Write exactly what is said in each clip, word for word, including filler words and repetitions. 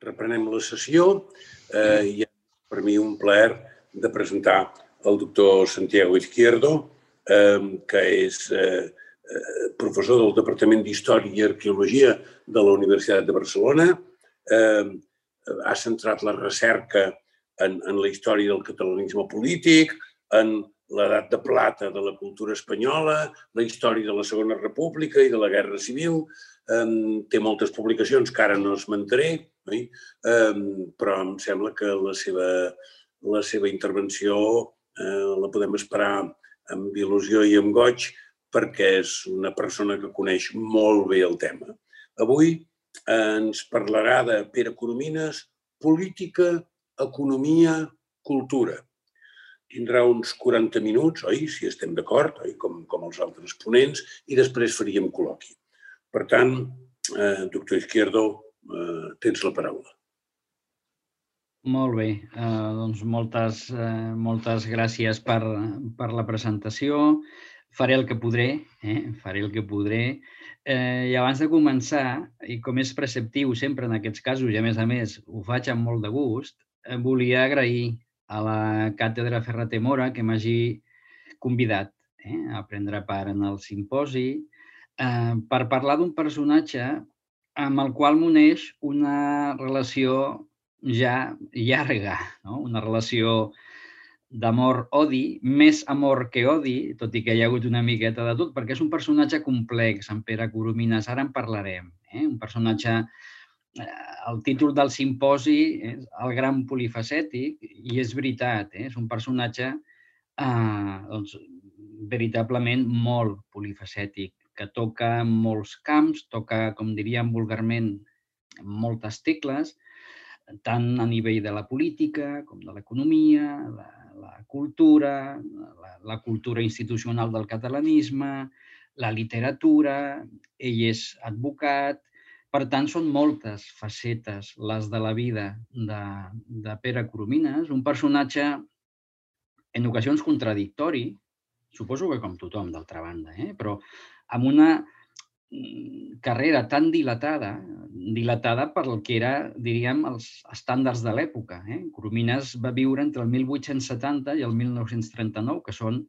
Reprenem la sessió i és per mi un plaer de presentar el doctor Santiago Izquierdo, que és professor del Departament d'Història i Arqueologia de la Universitat de Barcelona. Ha centrat la recerca en la història del catalanisme polític, en l'edat de plata de la cultura espanyola, la història de la Segona República i de la Guerra Civil. Té moltes publicacions que ara no esmentaré, però em sembla que la seva, la seva intervenció la podem esperar amb il·lusió i amb goig perquè és una persona que coneix molt bé el tema. Avui ens parlarà de Pere Coromines, política, economia, cultura. Tindrà uns quaranta minuts, oi? Si estem d'acord, com, com els altres ponents, i després faríem col·loqui. Per tant, eh, doctor Izquierdo, eh, tens la paraula. Molt bé, eh, doncs moltes, eh, moltes gràcies per, per la presentació. Faré el que podré, eh? faré el que podré. Eh, I abans de començar, i com és preceptiu sempre en aquests casos, i a més a més ho faig amb molt de gust, eh, volia agrair a la càtedra Ferrater Mora que m'hagi convidat eh, a prendre part en el simposi eh, per parlar d'un personatge amb el qual m'uneix una relació ja llarga, no? Una relació d'amor-odi, més amor que odi, tot i que hi ha hagut una miqueta de tot, perquè és un personatge complex, en Pere Coromines, ara en parlarem. Eh? Un personatge, el títol del simposi és El gran polifacètic, i és veritat, eh? És un personatge eh, doncs, veritablement molt polifacètic, que toca molts camps, toca, com diríem vulgarment, moltes tecles, tant a nivell de la política com de l'economia, la, la cultura, la, la cultura institucional del catalanisme, la literatura, ell és advocat. Per tant, són moltes facetes les de la vida de, de Pere Coromines, un personatge en ocasions contradictori, suposo que com tothom, d'altra banda, eh? Però amb una carrera tan dilatada, dilatada per el que era, diríem, els estàndards de l'època. Eh? Coromines va viure entre el mil vuit-cents setanta i el mil nou-cents trenta-nou, que són,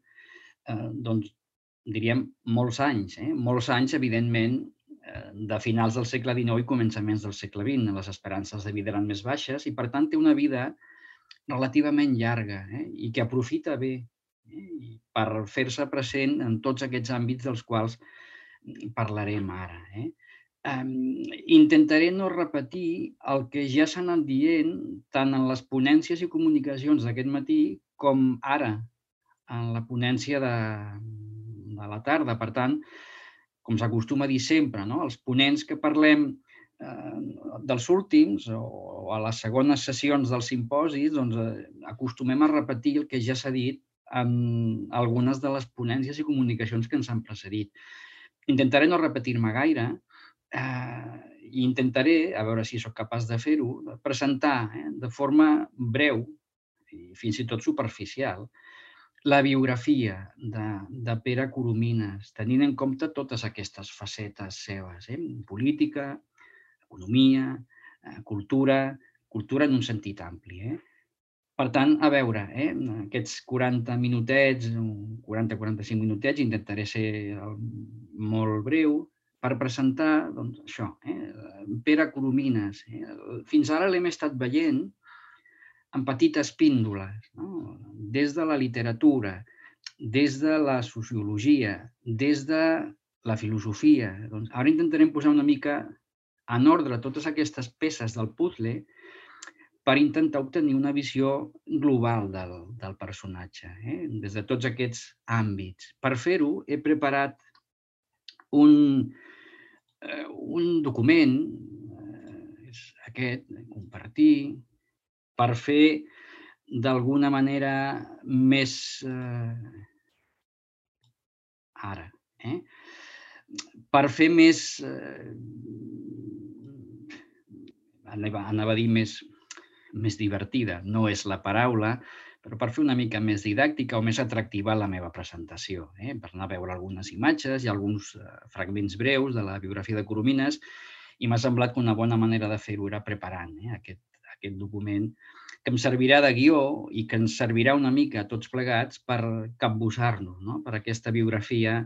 eh, doncs, diríem, molts anys. Eh? Molts anys, evidentment, eh, de finals del segle dinou i començaments del segle vint. Les esperances de vida eren més baixes i, per tant, té una vida relativament llarga eh? i que aprofita bé eh? per fer-se present en tots aquests àmbits dels quals parlarem ara. Eh? Um, intentaré no repetir el que ja s'ha anat dient tant en les ponències i comunicacions d'aquest matí com ara en la ponència de, de la tarda. Per tant, com s'acostuma a dir sempre, no? Els ponents que parlem eh, dels últims o a les segones sessions dels simposis, doncs, eh, acostumem a repetir el que ja s'ha dit en algunes de les ponències i comunicacions que ens han precedit. Intentaré no repetir-me gaire eh, i intentaré, a veure si sóc capaç de fer-ho, presentar eh, de forma breu i fins i tot superficial la biografia de, de Pere Coromines, tenint en compte totes aquestes facetes seves, eh? Política, economia, eh, cultura, cultura en un sentit ampli. Eh? Per tant, a veure, eh, aquests quaranta minutets, quaranta a quaranta-cinc minutets, intentaré ser molt breu per presentar doncs, això, eh, Pere Coromines. Eh, fins ara l'hem estat veient en petites píndoles, no? Des de la literatura, des de la sociologia, des de la filosofia. Doncs ara intentarem posar una mica en ordre totes aquestes peces del puzzle per intentar obtenir una visió global del, del personatge, eh? Des de tots aquests àmbits. Per fer-ho, he preparat un, eh, un document, eh, és aquest, compartir, per fer d'alguna manera més... Eh, ara, eh? Per fer més... Eh, anava, anava a dir més... més divertida, no és la paraula, però per fer una mica més didàctica o més atractiva la meva presentació, eh? Per anar a veure algunes imatges i alguns fragments breus de la biografia de Coromines i m'ha semblat que una bona manera de fer-ho era preparant aquest, aquest document, que em servirà de guió i que ens servirà una mica a tots plegats per capbussar-nos, no? Per aquesta biografia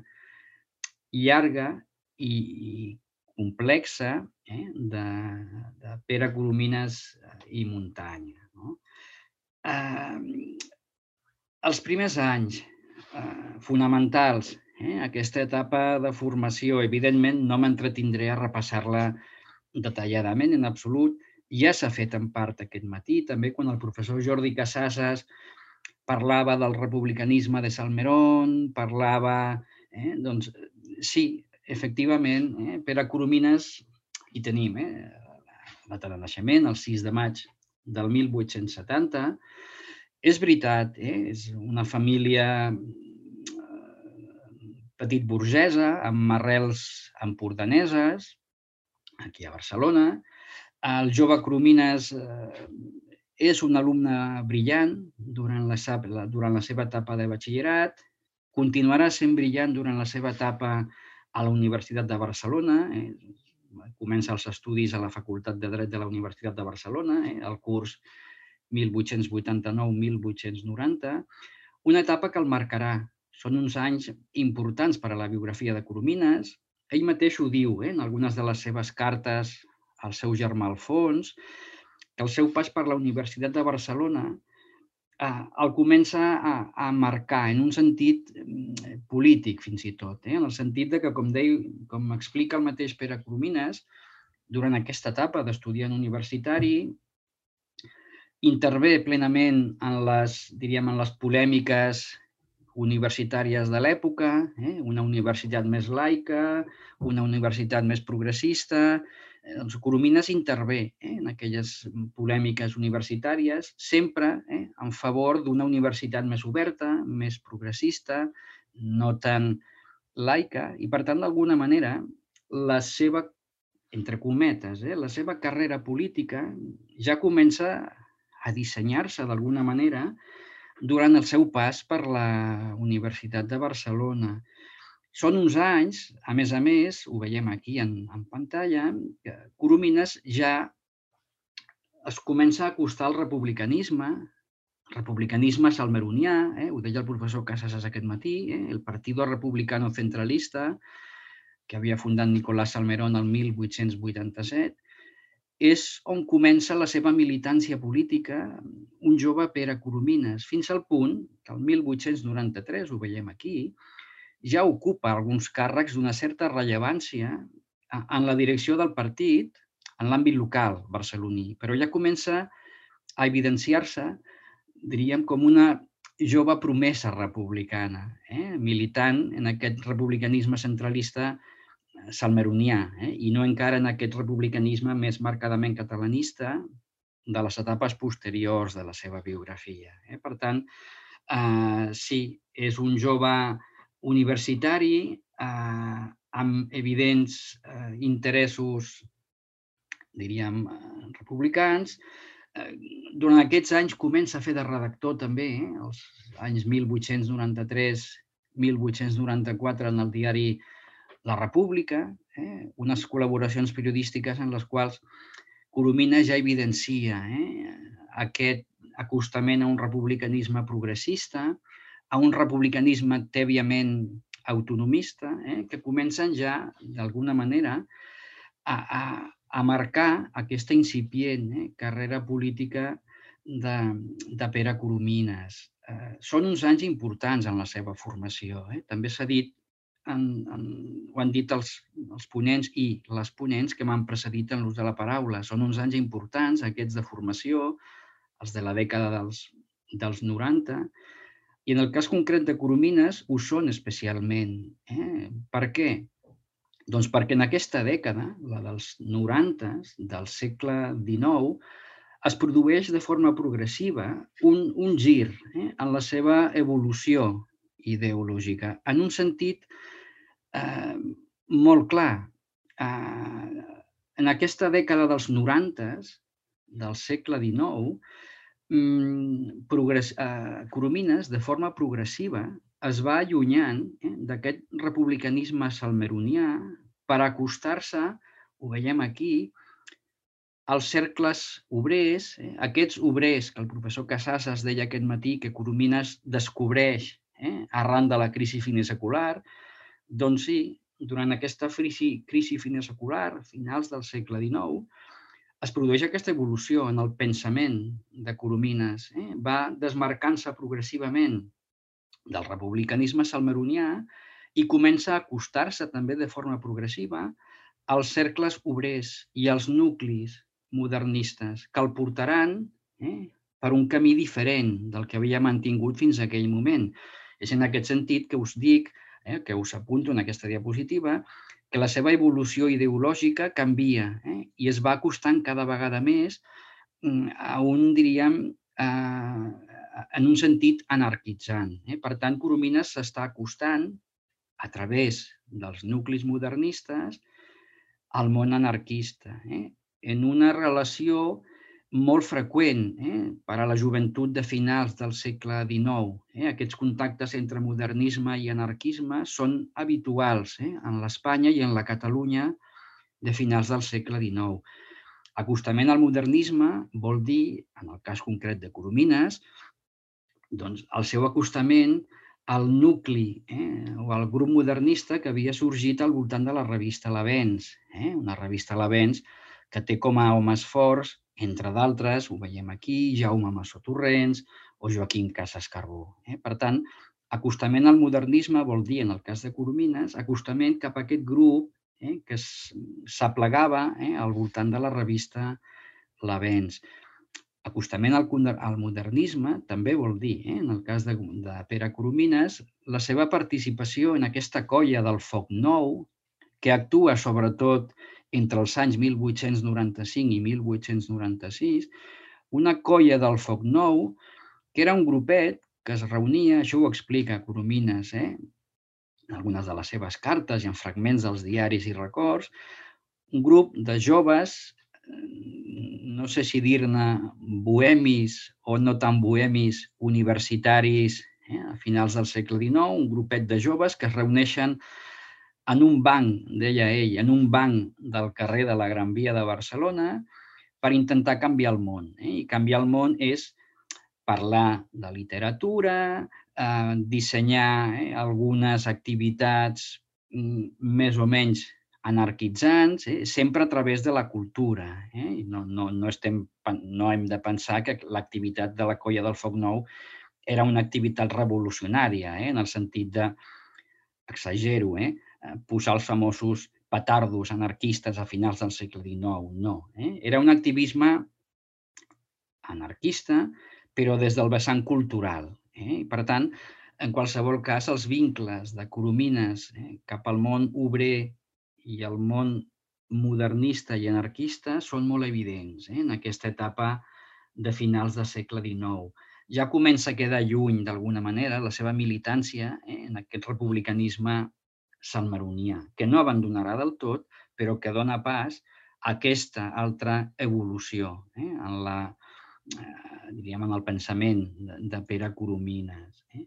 llarga i, i complexa eh? de, de Pere Coromines i Muntanya. No? Eh, els primers anys eh, fonamentals, eh? aquesta etapa de formació, evidentment no m'entretindré a repassar-la detalladament en absolut, ja s'ha fet en part aquest matí, també quan el professor Jordi Casasses parlava del republicanisme de Salmerón, parlava... Eh, doncs sí, efectivament, eh, Pere Coromines hi tenim, eh, la data de naixement, el sis de maig del mil vuit-cents setanta. És veritat, eh, és una família petit burgesa, amb arrels empordaneses, aquí a Barcelona. El jove Coromines eh, és un alumne brillant durant la, durant la seva etapa de batxillerat, continuarà sent brillant durant la seva etapa a la Universitat de Barcelona, eh, comença els estudis a la Facultat de Dret de la Universitat de Barcelona, eh, el curs mil vuit-cents vuitanta-nou mil vuit-cents noranta, una etapa que el marcarà. Són uns anys importants per a la biografia de Coromines. Ell mateix ho diu eh, en algunes de les seves cartes al seu germà Alfons, que el seu pas per la Universitat de Barcelona eh, el comença a, a marcar en un sentit eh, polític, fins i tot, eh, en el sentit de que, com, deia, com explica el mateix Pere Coromines, durant aquesta etapa d'estudiant universitari, intervé plenament en les, diríem, en les polèmiques universitàries de l'època, eh? una universitat més laica, una universitat més progressista. Doncs Coromines intervé eh? en aquelles polèmiques universitàries, sempre eh? en favor d'una universitat més oberta, més progressista, no tan laica, i per tant, d'alguna manera, la seva, entre cometes, eh? la seva carrera política ja comença a dissenyar-se d'alguna manera durant el seu pas per la Universitat de Barcelona. Són uns anys, a més a més, ho veiem aquí en, en pantalla, que Coromines ja es comença a acostar al republicanisme, republicanisme salmeronià, eh? ho deia el professor Casasses aquest matí, eh? el Partido Republicano Centralista, que havia fundat Nicolás Salmerón el mil vuit-cents vuitanta-set, és on comença la seva militància política un jove Pere Coromines, fins al punt que el mil vuit-cents noranta-tres, ho veiem aquí, ja ocupa alguns càrrecs d'una certa rellevància en la direcció del partit en l'àmbit local barceloní, però ja comença a evidenciar-se, diríem, com una jove promesa republicana, eh? militant en aquest republicanisme centralista salmeronià, eh? i no encara en aquest republicanisme més marcadament catalanista de les etapes posteriors de la seva biografia. Eh? Per tant, eh, sí, és un jove universitari eh, amb evidents eh, interessos, diríem, republicans. Eh, durant aquests anys comença a fer de redactor també, eh? els anys mil vuit-cents noranta-tres mil vuit-cents noranta-quatre en el diari La República, eh? unes col·laboracions periodístiques en les quals Coromines ja evidencia eh? aquest acostament a un republicanisme progressista, a un republicanisme tèbiament autonomista, eh? que comencen ja, d'alguna manera, a, a, a marcar aquesta incipient eh? carrera política de, de Pere Coromines. Eh, són uns anys importants en la seva formació. Eh? També s'ha dit, En, en, ho han dit els, els ponents i les ponents que m'han precedit en l'ús de la paraula. Són uns anys importants, aquests de formació, els de la dècada dels, dels noranta, i en el cas concret de Coromines ho són especialment. Eh? Per què? Doncs perquè en aquesta dècada, la dels noranta, del segle dinou, es produeix de forma progressiva un, un gir eh? en la seva evolució ideològica, en un sentit eh, molt clar. Eh, en aquesta dècada dels noranta, del segle dinou, progress, eh, Coromines, de forma progressiva, es va allunyant eh, d'aquest republicanisme salmeronià per acostar-se ho veiem aquí, els cercles obrers, eh, aquests obrers que el professor Casasses deia aquest matí que Coromines descobreix eh, arran de la crisi finesecular, doncs sí, durant aquesta crisi, crisi finesecular, finals del segle dinou, es produeix aquesta evolució en el pensament de Coromines. Eh? Va desmarcant-se progressivament del republicanisme salmeronià i comença a acostar-se també de forma progressiva als cercles obrers i als nuclis modernistes que el portaran eh, per un camí diferent del que havia mantingut fins a aquell moment. És en aquest sentit que us dic, eh, que us apunto en aquesta diapositiva, que la seva evolució ideològica canvia eh, i es va acostant cada vegada més a un, diríem, eh, en un sentit anarquitzant. Eh? Per tant, Coromines s'està acostant a través dels nuclis modernistes al món anarquista, eh? en una relació molt freqüent eh? per a la joventut de finals del segle dinou. Eh? Aquests contactes entre modernisme i anarquisme són habituals eh? en l'Espanya i en la Catalunya de finals del segle dinou. Acostament al modernisme vol dir, en el cas concret de Coromines, doncs el seu acostament al nucli eh, o al grup modernista que havia sorgit al voltant de la revista L'Avenç, eh, una revista L'Avenç que té com a homes forts, entre d'altres, ho veiem aquí, Jaume Massó Torrents o Joaquim Casas Carbó. Eh. Per tant, acostament al modernisme vol dir, en el cas de Coromines, acostament cap a aquest grup eh, que s'aplegava eh, al voltant de la revista L'Avenç. Acostament al, al modernisme també vol dir, eh, en el cas de, de Pere Coromines, la seva participació en aquesta colla del Foc Nou, que actua sobretot entre els anys mil vuit-cents noranta-cinc i mil vuit-cents noranta-sis, una colla del Foc Nou, que era un grupet que es reunia, això ho explica Coromines, eh, en algunes de les seves cartes i en fragments dels diaris i records, un grup de joves, no sé si dir-ne bohemis o no tan bohemis universitaris eh, a finals del segle dinou, un grupet de joves que es reuneixen en un banc, deia ell, en un banc del carrer de la Gran Via de Barcelona per intentar canviar el món. Eh? I canviar el món és parlar de literatura, eh, dissenyar eh, algunes activitats mm, més o menys anarquitzants, eh, sempre a través de la cultura. Eh? No, no, no, estem, no hem de pensar que l'activitat de la Colla del Foc Nou era una activitat revolucionària, eh? En el sentit de, exagero, eh? posar els famosos petardos anarquistes a finals del segle dinou. No. Eh? Era un activisme anarquista, però des del vessant cultural. Eh? Per tant, en qualsevol cas, els vincles de Coromines eh, cap al món obrer i el món modernista i anarquista són molt evidents eh, en aquesta etapa de finals del segle dinou. Ja comença a quedar lluny, d'alguna manera, la seva militància eh, en aquest republicanisme salmeronià, que no abandonarà del tot, però que dona pas a aquesta altra evolució eh, en la eh, diríem, en el pensament de, de Pere Coromines. Eh?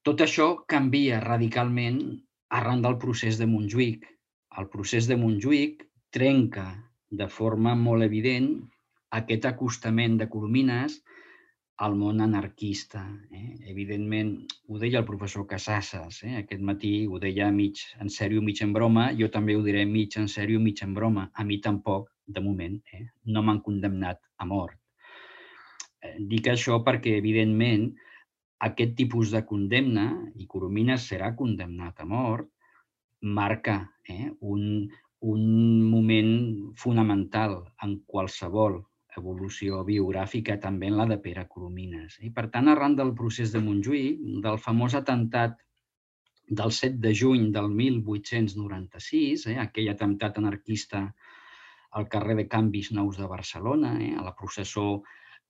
Tot això canvia radicalment arran del procés de Montjuïc. El procés de Montjuïc trenca de forma molt evident aquest acostament de Coromines al món anarquista. Eh? Evidentment, ho deia el professor Casasses, eh? aquest matí ho deia mig en sèrio, mig en broma, jo també ho diré mig en sèrio, mig en broma. A mi tampoc, de moment, eh? no m'han condemnat a mort. Eh, dic això perquè, evidentment, aquest tipus de condemna, i Coromines serà condemnat a mort, marca eh, un, un moment fonamental en qualsevol evolució biogràfica, també en la de Pere Coromines. I, per tant, arran del procés de Montjuïc, del famós atemptat del set de juny del mil vuit-cents noranta-sis, eh, aquell atemptat anarquista al carrer de Canvis Nous de Barcelona, eh, a la processó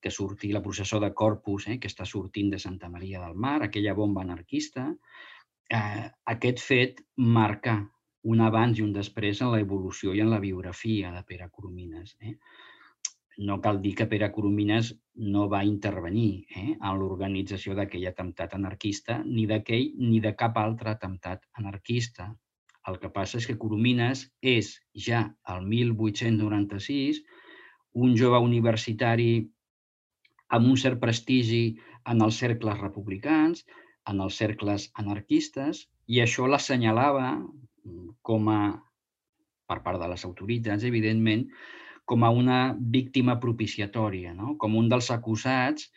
que sortia, la processó de Corpus, eh, que està sortint de Santa Maria del Mar, aquella bomba anarquista, eh, aquest fet marca un abans i un després en la evolució i en la biografia de Pere Coromines. Eh? No cal dir que Pere Coromines no va intervenir eh, en l'organització d'aquell atemptat anarquista, ni d'aquell ni de cap altre atemptat anarquista. El que passa és que Coromines és ja el mil vuit-cents noranta-sis un jove universitari amb un cert prestigi en els cercles republicans, en els cercles anarquistes, i això l'assenyalava com a, per part de les autoritats, evidentment, com a una víctima propiciatòria, no? Com un dels acusats,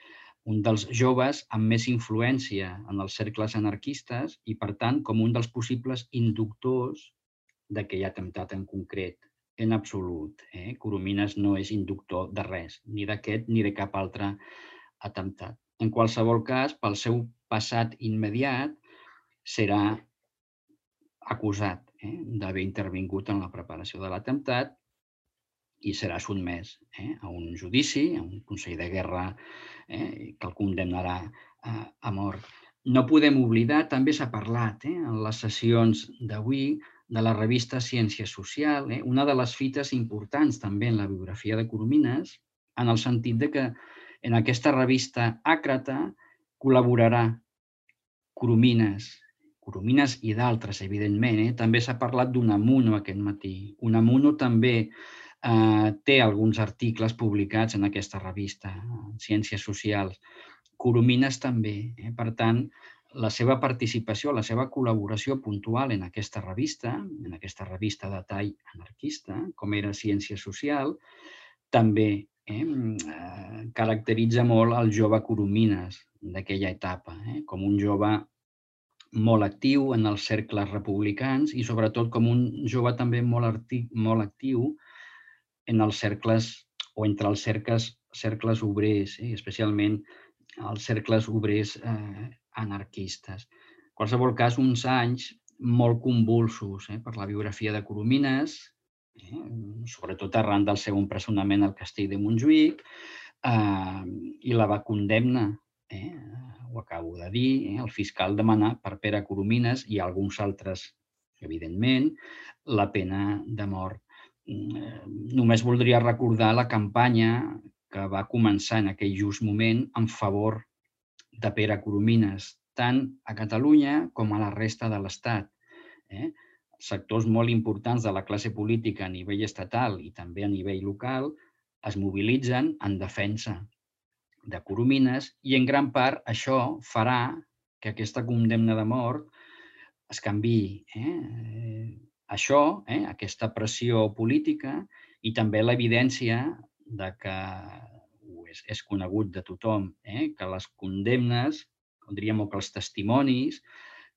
un dels joves amb més influència en els cercles anarquistes i, per tant, com un dels possibles inductors d'aquell atemptat en concret. En absolut. Eh? Coromines no és inductor de res, ni d'aquest ni de cap altre atemptat. En qualsevol cas, pel seu passat immediat, serà acusat eh, d'haver intervingut en la preparació de l'atemptat i serà sotmès eh, a un judici, a un Consell de Guerra eh, que el condemnarà eh, a mort. No podem oblidar, també s'ha parlat eh, en les sessions d'avui, de la revista Ciència Social, eh, una de les fites importants també en la biografia de Coromines, en el sentit de que en aquesta revista Àcrata col·laborarà Coromines, Coromines i d'altres, evidentment. Eh? També s'ha parlat d'Unamuno aquest matí. Unamuno també eh, té alguns articles publicats en aquesta revista, Ciències Socials. Coromines també. Eh? Per tant, la seva participació, la seva col·laboració puntual en aquesta revista, en aquesta revista de tall anarquista, com era Ciència Social, també eh, caracteritza molt el jove Coromines d'aquella etapa, eh, com un jove molt actiu en els cercles republicans i sobretot com un jove també molt, artic, molt actiu en els cercles o entre els cercles, cercles obrers, eh, especialment els cercles obrers eh, anarquistes. En qualsevol cas, uns anys molt convulsos eh, per la biografia de Coromines, eh, sobretot arran del seu empresonament al castell de Montjuïc, eh, i la va condemnar, eh, ho acabo de dir, eh, el fiscal demanà per Pere Coromines i alguns altres, evidentment, la pena de mort. Només voldria recordar la campanya que va començar en aquell just moment en favor de Pere Coromines, tant a Catalunya com a la resta de l'Estat. Eh? Sectors molt importants de la classe política a nivell estatal i també a nivell local es mobilitzen en defensa de Coromines i en gran part això farà que aquesta condemna de mort es canviï. Eh? Això, eh, aquesta pressió política i també l'evidència de que és, és conegut de tothom, eh, que les condemnes, com diríem, o que els testimonis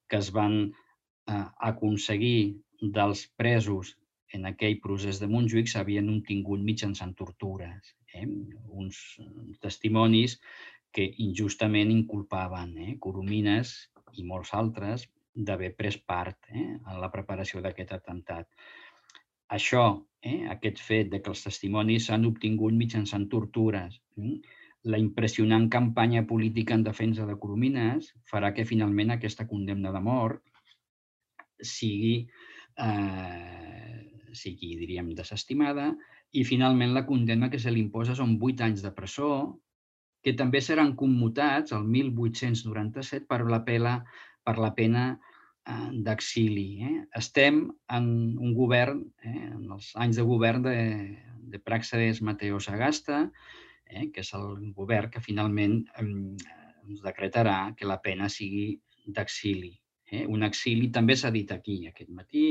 que es van eh, aconseguir dels presos en aquell procés de Montjuïc s'havien obtingut mitjançant tortures. Eh, uns testimonis que injustament inculpaven eh, Coromines i molts altres d'haver pres part eh, en la preparació d'aquest atemptat. Això, eh, aquest fet de que els testimonis s'han obtingut mitjançant tortures, eh, la impressionant campanya política en defensa de Coromines farà que finalment aquesta condemna de mort sigui, eh, sigui diríem, desestimada i finalment la condemna que se li imposa són vuit anys de presó, que també seran commutats el mil vuit-cents noranta-set per la pena, per la pena eh, d'exili. Eh? Estem en un govern, eh, en els anys de govern de, de Pràxedes Mateo Sagasta, eh, que és el govern que finalment eh, ens decretarà que la pena sigui d'exili. Eh? Un exili també s'ha dit aquí aquest matí,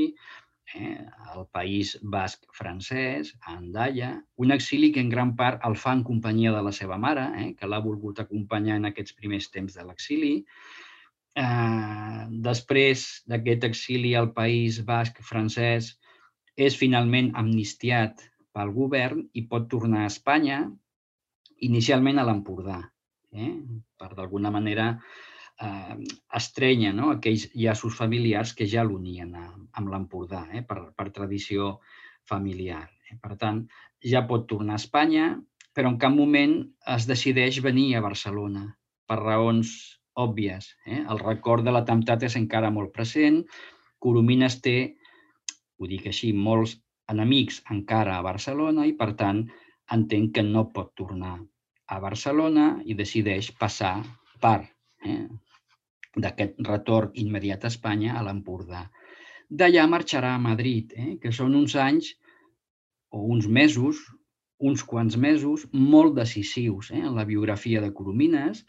eh, al País Basc francès, a Andaia, un exili que en gran part el fa en companyia de la seva mare, eh, que l'ha volgut acompanyar en aquests primers temps de l'exili. Eh, després d'aquest exili al País Basc francès és finalment amnistiat pel govern i pot tornar a Espanya, inicialment a l'Empordà, eh, per d'alguna manera eh, estrenya no? aquells llaços familiars que ja l'unien amb l'Empordà, eh, per, per tradició familiar. Eh. Per tant, ja pot tornar a Espanya, però en cap moment es decideix venir a Barcelona, per raons òbvies. Eh. El record de l'atemptat és encara molt present. Coromines té, ho dic així, molts enemics encara a Barcelona i, per tant, entenc que no pot tornar a Barcelona i decideix passar per eh, d'aquest retorn immediat a Espanya a l'Empordà. d'allà marxarà a Madrid, que són uns anys o uns mesos, uns quants mesos, molt decisius en la biografia de Coromines,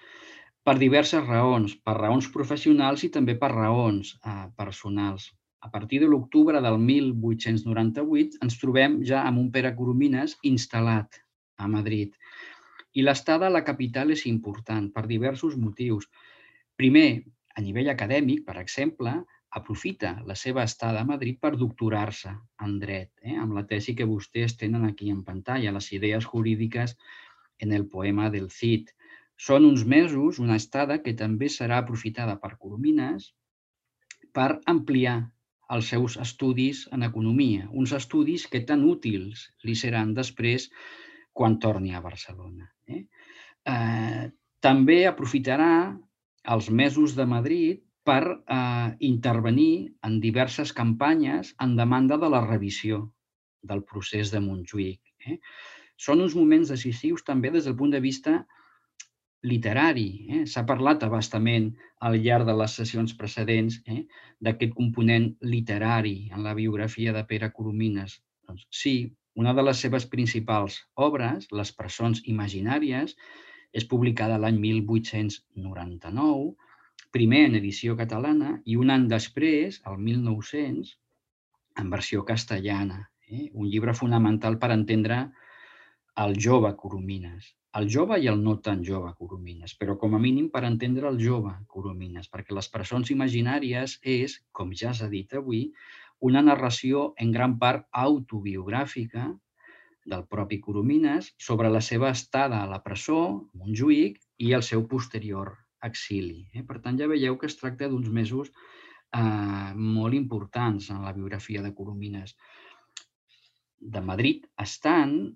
per diverses raons, per raons professionals i també per raons personals. A partir de l'octubre del mil vuit-cents noranta-vuit ens trobem ja amb un Pere Coromines instal·lat a Madrid. I l'estada a la capital és important per diversos motius. Primer, a nivell acadèmic, per exemple, aprofita la seva estada a Madrid per doctorar-se en dret, amb la tesi que vostès tenen aquí en pantalla, les idees jurídiques en el poema del Cid. Són uns mesos, una estada que també serà aprofitada per Coromines per ampliar els seus estudis en economia, uns estudis que tan útils li seran després quan torni a Barcelona. També aprofitarà els mesos de Madrid per intervenir en diverses campanyes en demanda de la revisió del procés de Montjuïc. Són uns moments decisius també des del punt de vista literari. S'ha parlat a bastament al llarg de les sessions precedents d'aquest component literari en la biografia de Pere Coromines. Sí, una de les seves principals obres, Les presons imaginàries, és publicada l'any mil vuit-cents noranta-nou, primer en edició catalana i un any després, el mil nou-cents, en versió castellana. Un llibre fonamental per entendre el jove Coromines. El jove i el no tan jove Coromines, però com a mínim per entendre el jove Coromines, perquè Les presons imaginàries és, com ja s'ha dit avui, una narració en gran part autobiogràfica del propi Coromines sobre la seva estada a la presó, a Montjuïc, i el seu posterior exili. Per tant, ja veieu que es tracta d'uns mesos molt importants en la biografia de Coromines. De Madrid estant,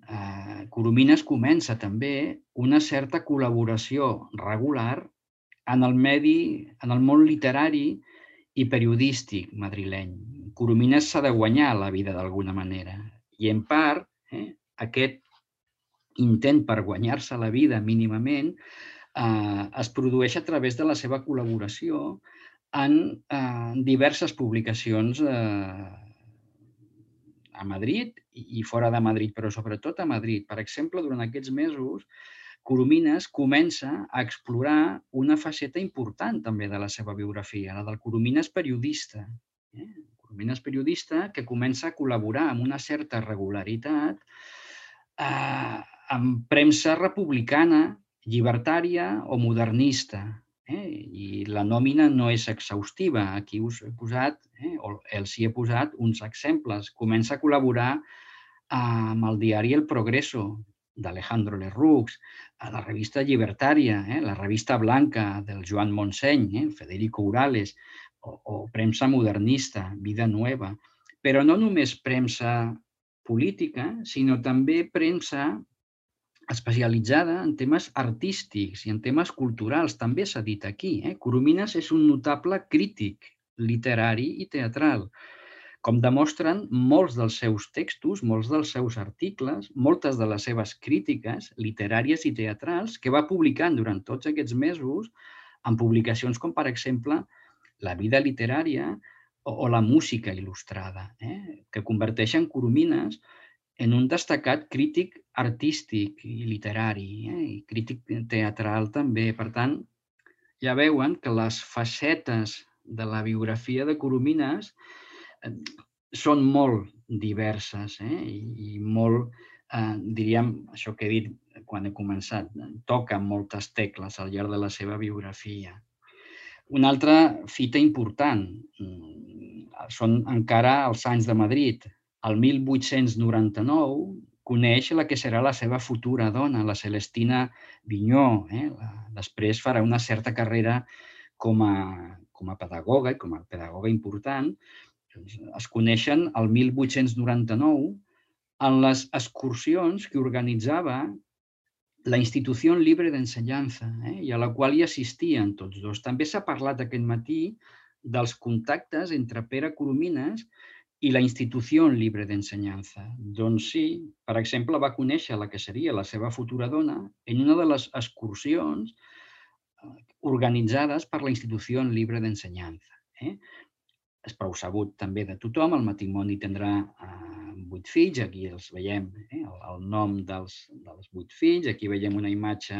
Coromines comença també una certa col·laboració regular en el medi, en el món literari i periodístic madrileny. Coromines s'ha de guanyar la vida d'alguna manera i, en part, aquest intent per guanyar-se la vida mínimament es produeix a través de la seva col·laboració en diverses publicacions a Madrid i fora de Madrid, però sobretot a Madrid. Per exemple, durant aquests mesos, Coromines comença a explorar una faceta important també de la seva biografia, la del Coromines periodista. Coromines periodista que comença a col·laborar amb una certa regularitat amb premsa republicana, llibertària o modernista. I la nòmina no és exhaustiva. Aquí us he posat, o els hi he posat, uns exemples. Comença a col·laborar amb el diari El Progreso, d'Alejandro Lerroux, a la revista llibertària, la revista Blanca, del Joan Montseny, Federico Urales, o premsa modernista, Vida Nueva. Però no només premsa política, sinó també premsa especialitzada en temes artístics i en temes culturals. També s'ha dit aquí. Coromines és un notable crític literari i teatral. Com demostren molts dels seus textos, molts dels seus articles, moltes de les seves crítiques literàries i teatrals que va publicant durant tots aquests mesos en publicacions com, per exemple, La vida literària o La música il·lustrada, que converteixen Coromines en un destacat crític artístic i literari, i crític teatral també. Per tant, ja veuen que les facetes de la biografia de Coromines són molt diverses i molt, diríem, això que he dit quan he començat, toquen moltes tecles al llarg de la seva biografia. Una altra fita important són encara els anys de Madrid. El mil vuit-cents noranta-nou coneix la que serà la seva futura dona, la Celestina Vigneaux. Després farà una certa carrera com a pedagoga i com a pedagoga important. Es coneixen el mil vuit-cents noranta-nou en les excursions que organitzava la Institució Libre d'Ensenyança i a la qual hi assistien tots dos. També s'ha parlat aquest matí dels contactes entre Pere Coromines i la Institució Libre d'Ensenyança. Doncs sí, per exemple, va conèixer la que seria la seva futura dona en una de les excursions organitzades per la Institució Libre d'Ensenyança. és prou sabut també de tothom, el matrimoni tindrà vuit fills, aquí els veiem, el nom dels vuit fills, aquí veiem una imatge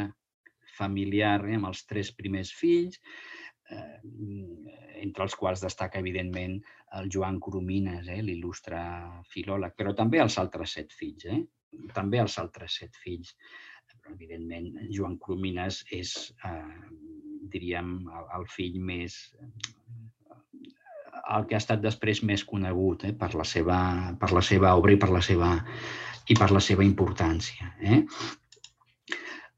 familiar amb els tres primers fills, entre els quals destaca, evidentment, el Joan Coromines, l'il·lustre filòleg, però també els altres set fills, també els altres set fills. Però, evidentment, Joan Coromines és, diríem, el fill més... el que ha estat després més conegut per la seva obra i per la seva importància.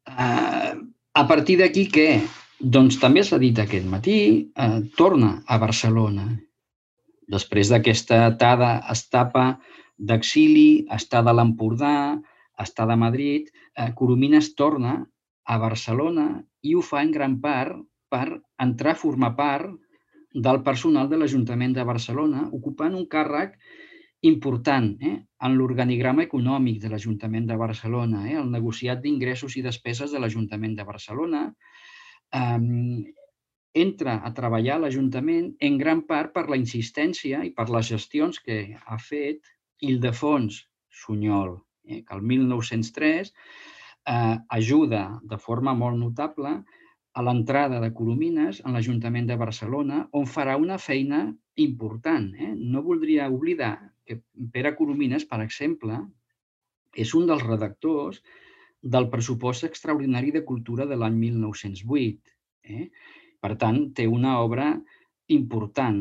A partir d'aquí, què? Doncs també s'ha dit aquest matí, torna a Barcelona. Després d'aquesta etapa d'exili, estada a l'Empordà, estada a Madrid, Coromines torna a Barcelona i ho fa en gran part per entrar a formar part del personal de l'Ajuntament de Barcelona, ocupant un càrrec important en l'organigrama econòmic de l'Ajuntament de Barcelona, el negociat d'ingressos i despeses de l'Ajuntament de Barcelona. Entra a treballar a l'Ajuntament en gran part per la insistència i per les gestions que ha fet Ildefons Sunyol, que el mil nou-cents tres ajuda de forma molt notable a l'entrada de Coromines en l'Ajuntament de Barcelona, on farà una feina important. No voldria oblidar que Pere Coromines, per exemple, és un dels redactors del pressupost extraordinari de cultura de l'any mil nou-cents vuit. Per tant, té una obra important.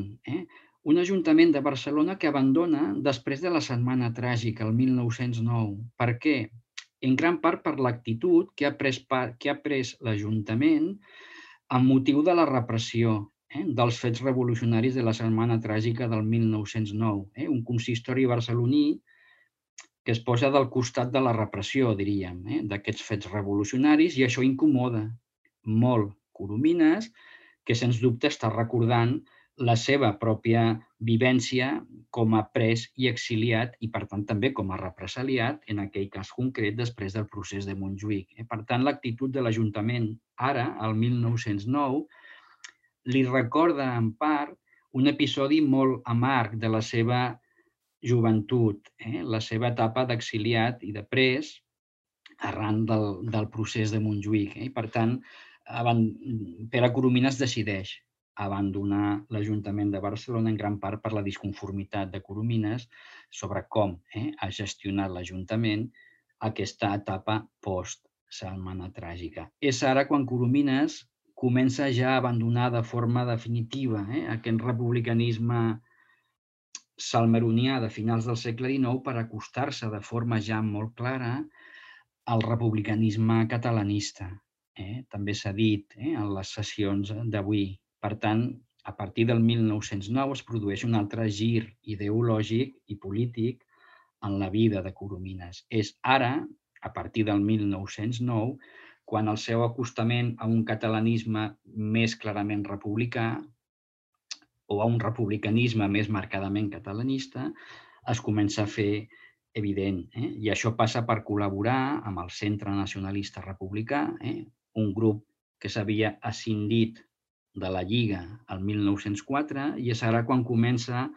Un Ajuntament de Barcelona que abandona després de la Setmana Tràgica, el mil nou-cents nou. Per què? En gran part per l'actitud que ha pres l'Ajuntament amb motiu de la repressió dels fets revolucionaris de la Setmana Tràgica del mil nou-cents nou. Un consistori barceloní que es posa del costat de la repressió, diríem, d'aquests fets revolucionaris, i això incomoda molt Coromines, que sens dubte està recordant la seva pròpia vivència com a pres i exiliat i, per tant, també com a represaliat en aquell cas concret després del procés de Montjuïc. Per tant, l'actitud de l'Ajuntament ara, el mil nou-cents nou, li recorda en part un episodi molt amarg de la seva joventut, la seva etapa d'exiliat i de pres arran del procés de Montjuïc. Per tant, Pere Coromines decideix abandonar l'Ajuntament de Barcelona en gran part per la disconformitat de Coromines sobre com ha gestionat l'Ajuntament aquesta etapa post-Setmana Tràgica. És ara quan Coromines comença ja a abandonar de forma definitiva aquest republicanisme salmeronià de finals del segle dinou per acostar-se de forma ja molt clara al republicanisme catalanista. També s'ha dit en les sessions d'avui. Per tant, a partir del mil nou-cents nou es produeix un altre gir ideològic i polític en la vida de Coromines. És ara, a partir del mil nou-cents nou, quan el seu acostament a un catalanisme més clarament republicà o a un republicanisme més marcadament catalanista es comença a fer evident. I això passa per col·laborar amb el Centre Nacionalista Republicà, un grup que s'havia escindit de la Lliga el mil nou-cents quatre, i és ara quan comença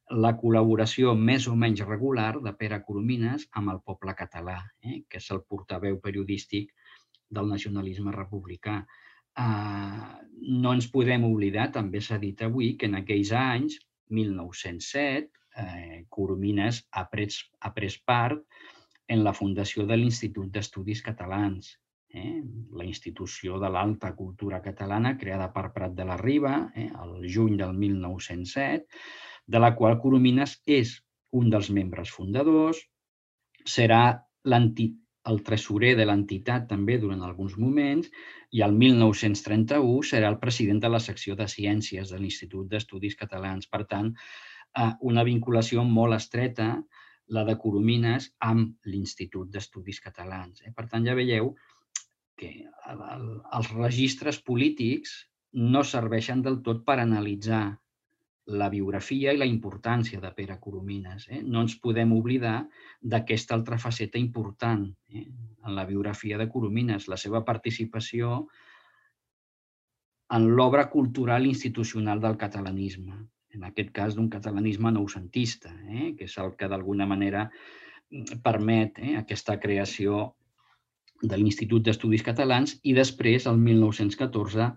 la col·laboració més o menys regular de Pere Coromines amb el poble català, que és el portaveu periodístic del nacionalisme republicà. No ens podem oblidar, també s'ha dit avui, que en aquells anys, mil nou-cents set, Coromines ha pres part en la fundació de l'Institut d'Estudis Catalans, la institució de l'alta cultura catalana creada per Prat de la Riba el juny del mil nou-cents set, de la qual Coromines és un dels membres fundadors, serà el tresorer de l'entitat també durant alguns moments i el mil nou-cents trenta-u serà el president de la secció de Ciències de l'Institut d'Estudis Catalans. Per tant, una vinculació molt estreta, la de Coromines, amb l'Institut d'Estudis Catalans. Per tant, ja veieu que els registres polítics no serveixen del tot per analitzar la biografia i la importància de Pere Coromines. No ens podem oblidar d'aquesta altra faceta important en la biografia de Coromines, la seva participació en l'obra cultural institucional del catalanisme. en aquest cas d'un catalanisme noucentista, eh? que és el que d'alguna manera permet eh, aquesta creació de l'Institut d'Estudis Catalans i després, el mil nou-cents catorze,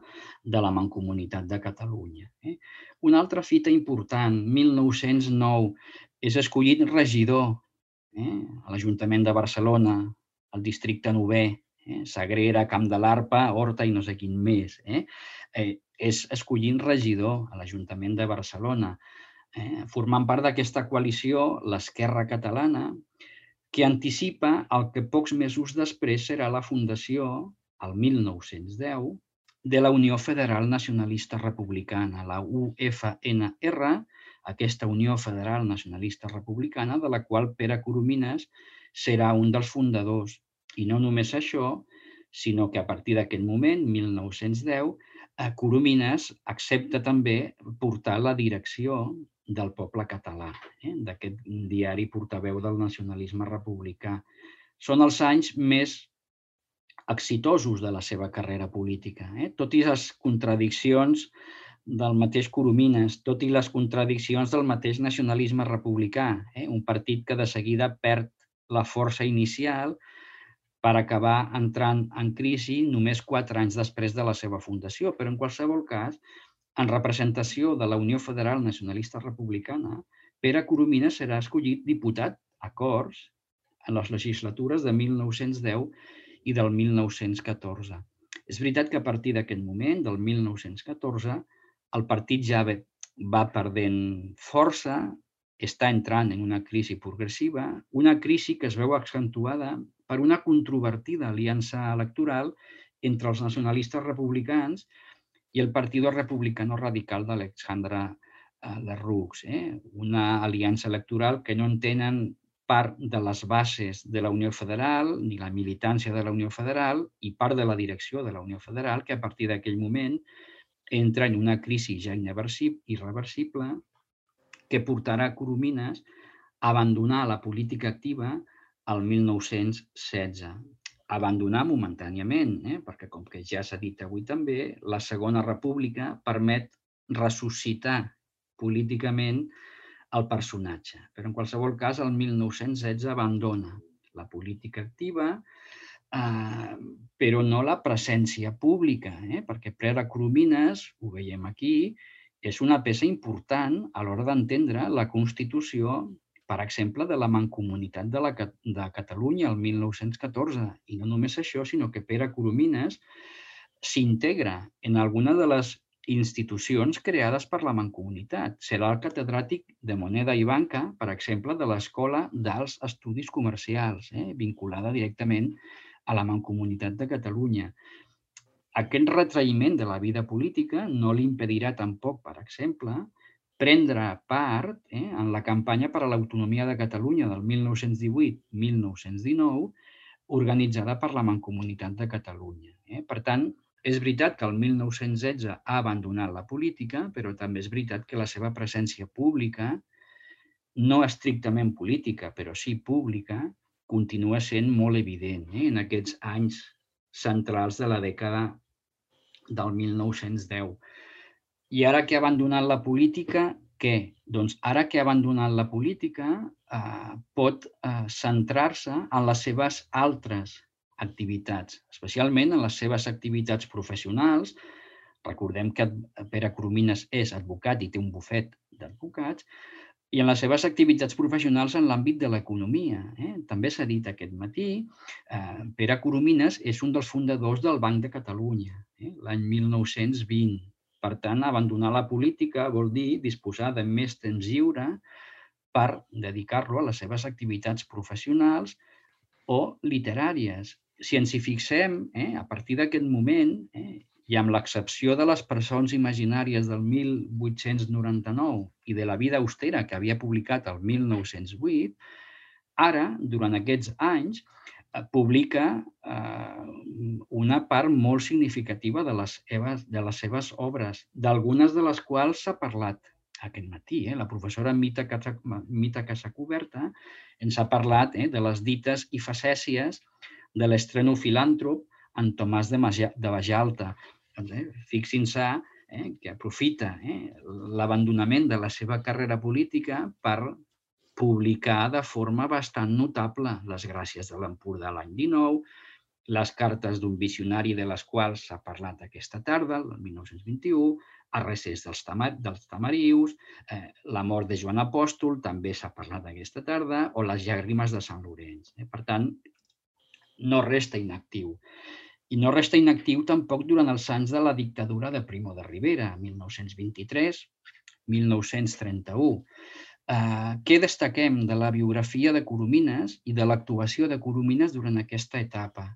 de la Mancomunitat de Catalunya. Eh? Una altra fita important, mil nou-cents nou, és escollit regidor eh? a l'Ajuntament de Barcelona, al districte novè, eh? Sagrera, Camp de l'Arpa, Horta i no sé quin més. Eh? Eh, és escollint regidor a l'Ajuntament de Barcelona, eh? formant part d'aquesta coalició, l'Esquerra Catalana, que anticipa el que pocs mesos després serà la fundació, el mil nou-cents deu, de la Unió Federal Nacionalista Republicana, la U F N R, aquesta Unió Federal Nacionalista Republicana, de la qual Pere Coromines serà un dels fundadors. I no només això, sinó que a partir d'aquest moment, mil nou-cents deu, Coromines accepta també portar la direcció del poble català, eh? d'aquest diari portaveu del nacionalisme republicà. Són els anys més exitosos de la seva carrera política. Eh? Tot i les contradiccions del mateix Coromines, tot i les contradiccions del mateix nacionalisme republicà, eh? un partit que de seguida perd la força inicial per acabar entrant en crisi només quatre anys després de la seva fundació. Però en qualsevol cas, en representació de la Unió Federal Nacionalista Republicana, Pere Coromines serà escollit diputat a Corts en les legislatures de mil nou-cents deu i del mil nou-cents catorze. És veritat que a partir d'aquest moment, del mil nou-cents catorze, el partit ja va perdent força, està entrant en una crisi progressiva, una crisi que es veu accentuada per una controvertida aliança electoral entre els nacionalistes republicans i el Partido Republicano Radical d'Alexandre Lerroux, eh? una aliança electoral que no entenen part de les bases de la Unió Federal ni la militància de la Unió Federal i part de la direcció de la Unió Federal, que a partir d'aquell moment entra en una crisi ja irreversible que portarà a Coromines a abandonar la política activa el mil nou-cents setze. Abandonar momentàniament, eh? perquè, com que ja s'ha dit avui també, la Segona República permet ressuscitar políticament el personatge. Però, en qualsevol cas, el mil nou-cents setze abandona la política activa, eh, però no la presència pública, eh? perquè Pere Coromines, ho veiem aquí, és una peça important a l'hora d'entendre la Constitució, per exemple, de la Mancomunitat de, la, de Catalunya el mil nou-cents catorze. I no només això, sinó que Pere Coromines s'integra en alguna de les institucions creades per la Mancomunitat. Serà el catedràtic de moneda i banca, per exemple, de l'Escola d'Alts Estudis Comercials, eh? vinculada directament a la Mancomunitat de Catalunya. Aquest retraïment de la vida política no li impedirà tampoc, per exemple, prendre part eh, en la campanya per a l'autonomia de Catalunya del mil nou-cents divuit a mil nou-cents dinou, organitzada per la Mancomunitat de Catalunya. Eh? Per tant, és veritat que el mil nou-cents setze ha abandonat la política, però també és veritat que la seva presència pública, no estrictament política, però sí pública, continua sent molt evident eh? en aquests anys centrals de la dècada del mil nou-cents deu. I ara que ha abandonat la política, què? Doncs ara que ha abandonat la política, eh, pot eh, centrar-se en les seves altres activitats, especialment en les seves activitats professionals. Recordem que Pere Coromines és advocat i té un bufet d'advocats, i en les seves activitats professionals en l'àmbit de l'economia. Eh? També s'ha dit aquest matí, eh, Pere Coromines és un dels fundadors del Banc de Catalunya, eh? l'any mil nou-cents vint. Per tant, abandonar la política vol dir disposar de més temps lliure per dedicar-lo a les seves activitats professionals o literàries. Si ens hi fixem, eh, a partir d'aquest moment, eh, i amb l'excepció de les presons imaginàries del mil vuit-cents noranta-nou i de la vida austera que havia publicat el mil nou-cents vuit, ara, durant aquests anys, publica eh, una part molt significativa de les, seves, de les seves obres, d'algunes de les quals s'ha parlat aquest matí. Eh? La professora Mita, Casa, Mita Casacuberta ens ha parlat eh, de les dites i facècies de l'estreno filàntrop en Tomàs de, Maja, de Bajalta. Doncs, eh, fixin-se que aprofita l'abandonament de la seva carrera política per publicar de forma bastant notable les gràcies de l'Empordà l'any dinou, les cartes d'un visionari de les quals s'ha parlat aquesta tarda, el mil nou-cents vint-i-u, A recés dels Tamarius, la mort de Joan Apòstol, també s'ha parlat aquesta tarda, o les llàgrimes de Sant Llorenç. Per tant, no resta inactiu. I no resta inactiu tampoc durant els anys de la dictadura de Primo de Rivera, mil nou-cents vint-i-tres a mil nou-cents trenta-u. Què destaquem de la biografia de Coromines i de l'actuació de Coromines durant aquesta etapa?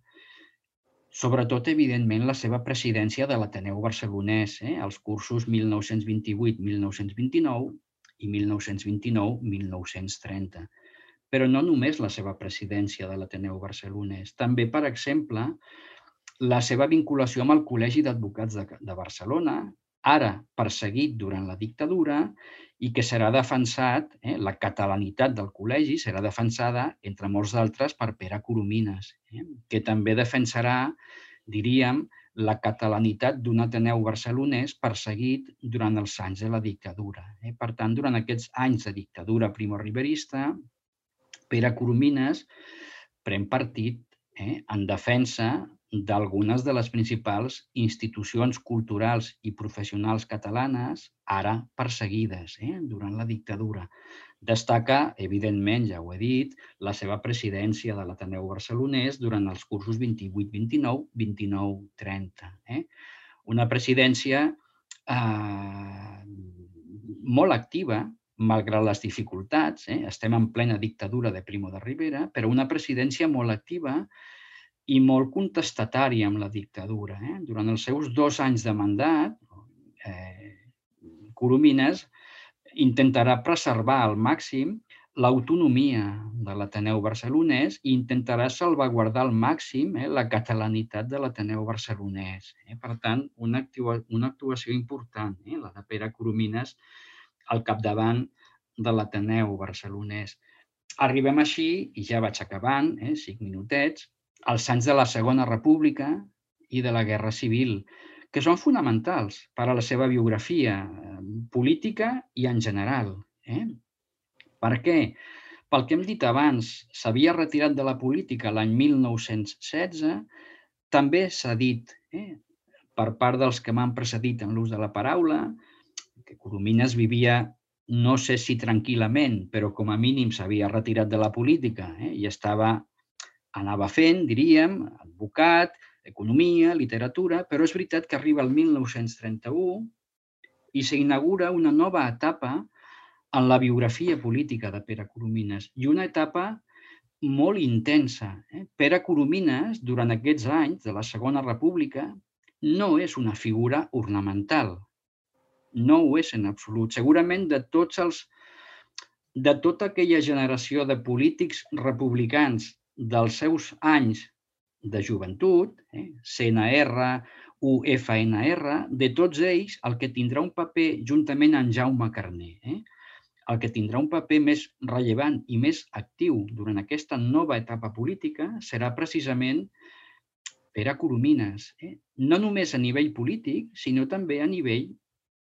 Sobretot, evidentment, la seva presidència de l'Ateneu Barcelonès, els cursos mil nou-cents vint-i-vuit a mil nou-cents vint-i-nou i mil nou-cents vint-i-nou a mil nou-cents trenta. Però no només la seva presidència de l'Ateneu Barcelonès, també, per exemple, la seva vinculació amb el Col·legi d'Advocats de Barcelona, ara perseguit durant la dictadura, i que serà defensat, la catalanitat del col·legi serà defensada, entre molts d'altres, per Pere Coromines, que també defensarà, diríem, la catalanitat d'un Ateneu barcelonès perseguit durant els anys de la dictadura. Per tant, durant aquests anys de dictadura primorriberista, Pere Coromines pren partit en defensa d'algunes de les principals institucions culturals i professionals catalanes, ara perseguides durant la dictadura. Destaca, evidentment, ja ho he dit, la seva presidència de l'Ateneu Barcelonès durant els cursos vint-i-vuit vint-i-nou, vint-i-nou trenta. Una presidència molt activa, malgrat les dificultats, estem en plena dictadura de Primo de Rivera, però una presidència molt activa i molt contestatària amb la dictadura. Durant els seus dos anys de mandat, Coromines intentarà preservar al màxim l'autonomia de l'Ateneu barcelonès i intentarà salvaguardar al màxim la catalanitat de l'Ateneu barcelonès. Per tant, una actuació important, la de Pere Coromines, al capdavant de l'Ateneu barcelonès. Arribem així, i ja vaig acabant, cinc minutets, als anys de la Segona República i de la Guerra Civil, que són fonamentals per a la seva biografia política i en general. Per què? Pel que hem dit abans, s'havia retirat de la política l'any mil nou-cents setze, també s'ha dit, per part dels que m'han precedit en l'ús de la paraula, que Coromines vivia, no sé si tranquil·lament, però com a mínim s'havia retirat de la política i estava anava fent, diríem, advocat, economia, literatura, però és veritat que arriba el mil nou-cents trenta-u i s'inaugura una nova etapa en la biografia política de Pere Coromines i una etapa molt intensa. Pere Coromines, durant aquests anys de la Segona República, no és una figura ornamental. No ho és en absolut. Segurament de tots els de tota aquella generació de polítics republicans dels seus anys de joventut, C N R, U F N R, de tots ells, el que tindrà un paper, juntament amb Jaume Carner, el que tindrà un paper més rellevant i més actiu durant aquesta nova etapa política serà precisament Pere Coromines. No només a nivell polític, sinó també a nivell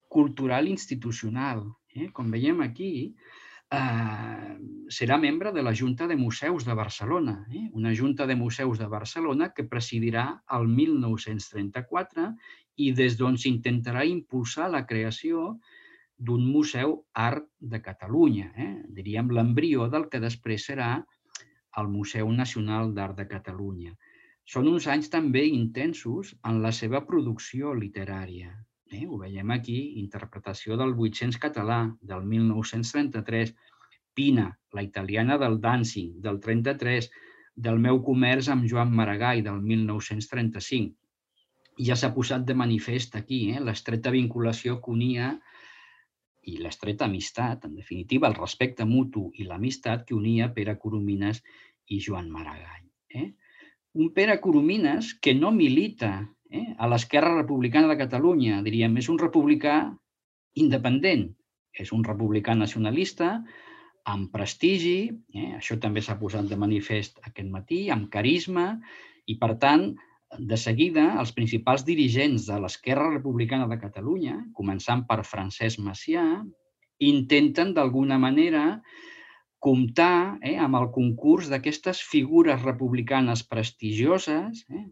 cultural i institucional. Com veiem aquí, serà membre de la Junta de Museus de Barcelona, una Junta de Museus de Barcelona que presidirà el mil nou-cents trenta-quatre i des d'on s'intentarà impulsar la creació d'un Museu Art de Catalunya, diríem l'embrió del que després serà el Museu Nacional d'Art de Catalunya. Són uns anys també intensos en la seva producció literària. Ho veiem aquí, interpretació del vuit-cents català del mil nou-cents trenta-tres, Pina, la italiana del Danzig del trenta-tres, del meu comerç amb Joan Maragall del mil nou-cents trenta-cinc. Ja s'ha posat de manifest aquí l'estreta vinculació que unia i l'estreta amistat, en definitiva, el respecte mutu i l'amistat que unia Pere Coromines i Joan Maragall. Un Pere Coromines que no milita a l'Esquerra Republicana de Catalunya, diríem, és un republicà independent, és un republicà nacionalista, amb prestigi, això també s'ha posat de manifest aquest matí, amb carisma, i per tant de seguida, els principals dirigents de l'Esquerra Republicana de Catalunya, començant per Francesc Macià, intenten d'alguna manera comptar eh, amb el concurs d'aquestes figures republicanes prestigioses eh,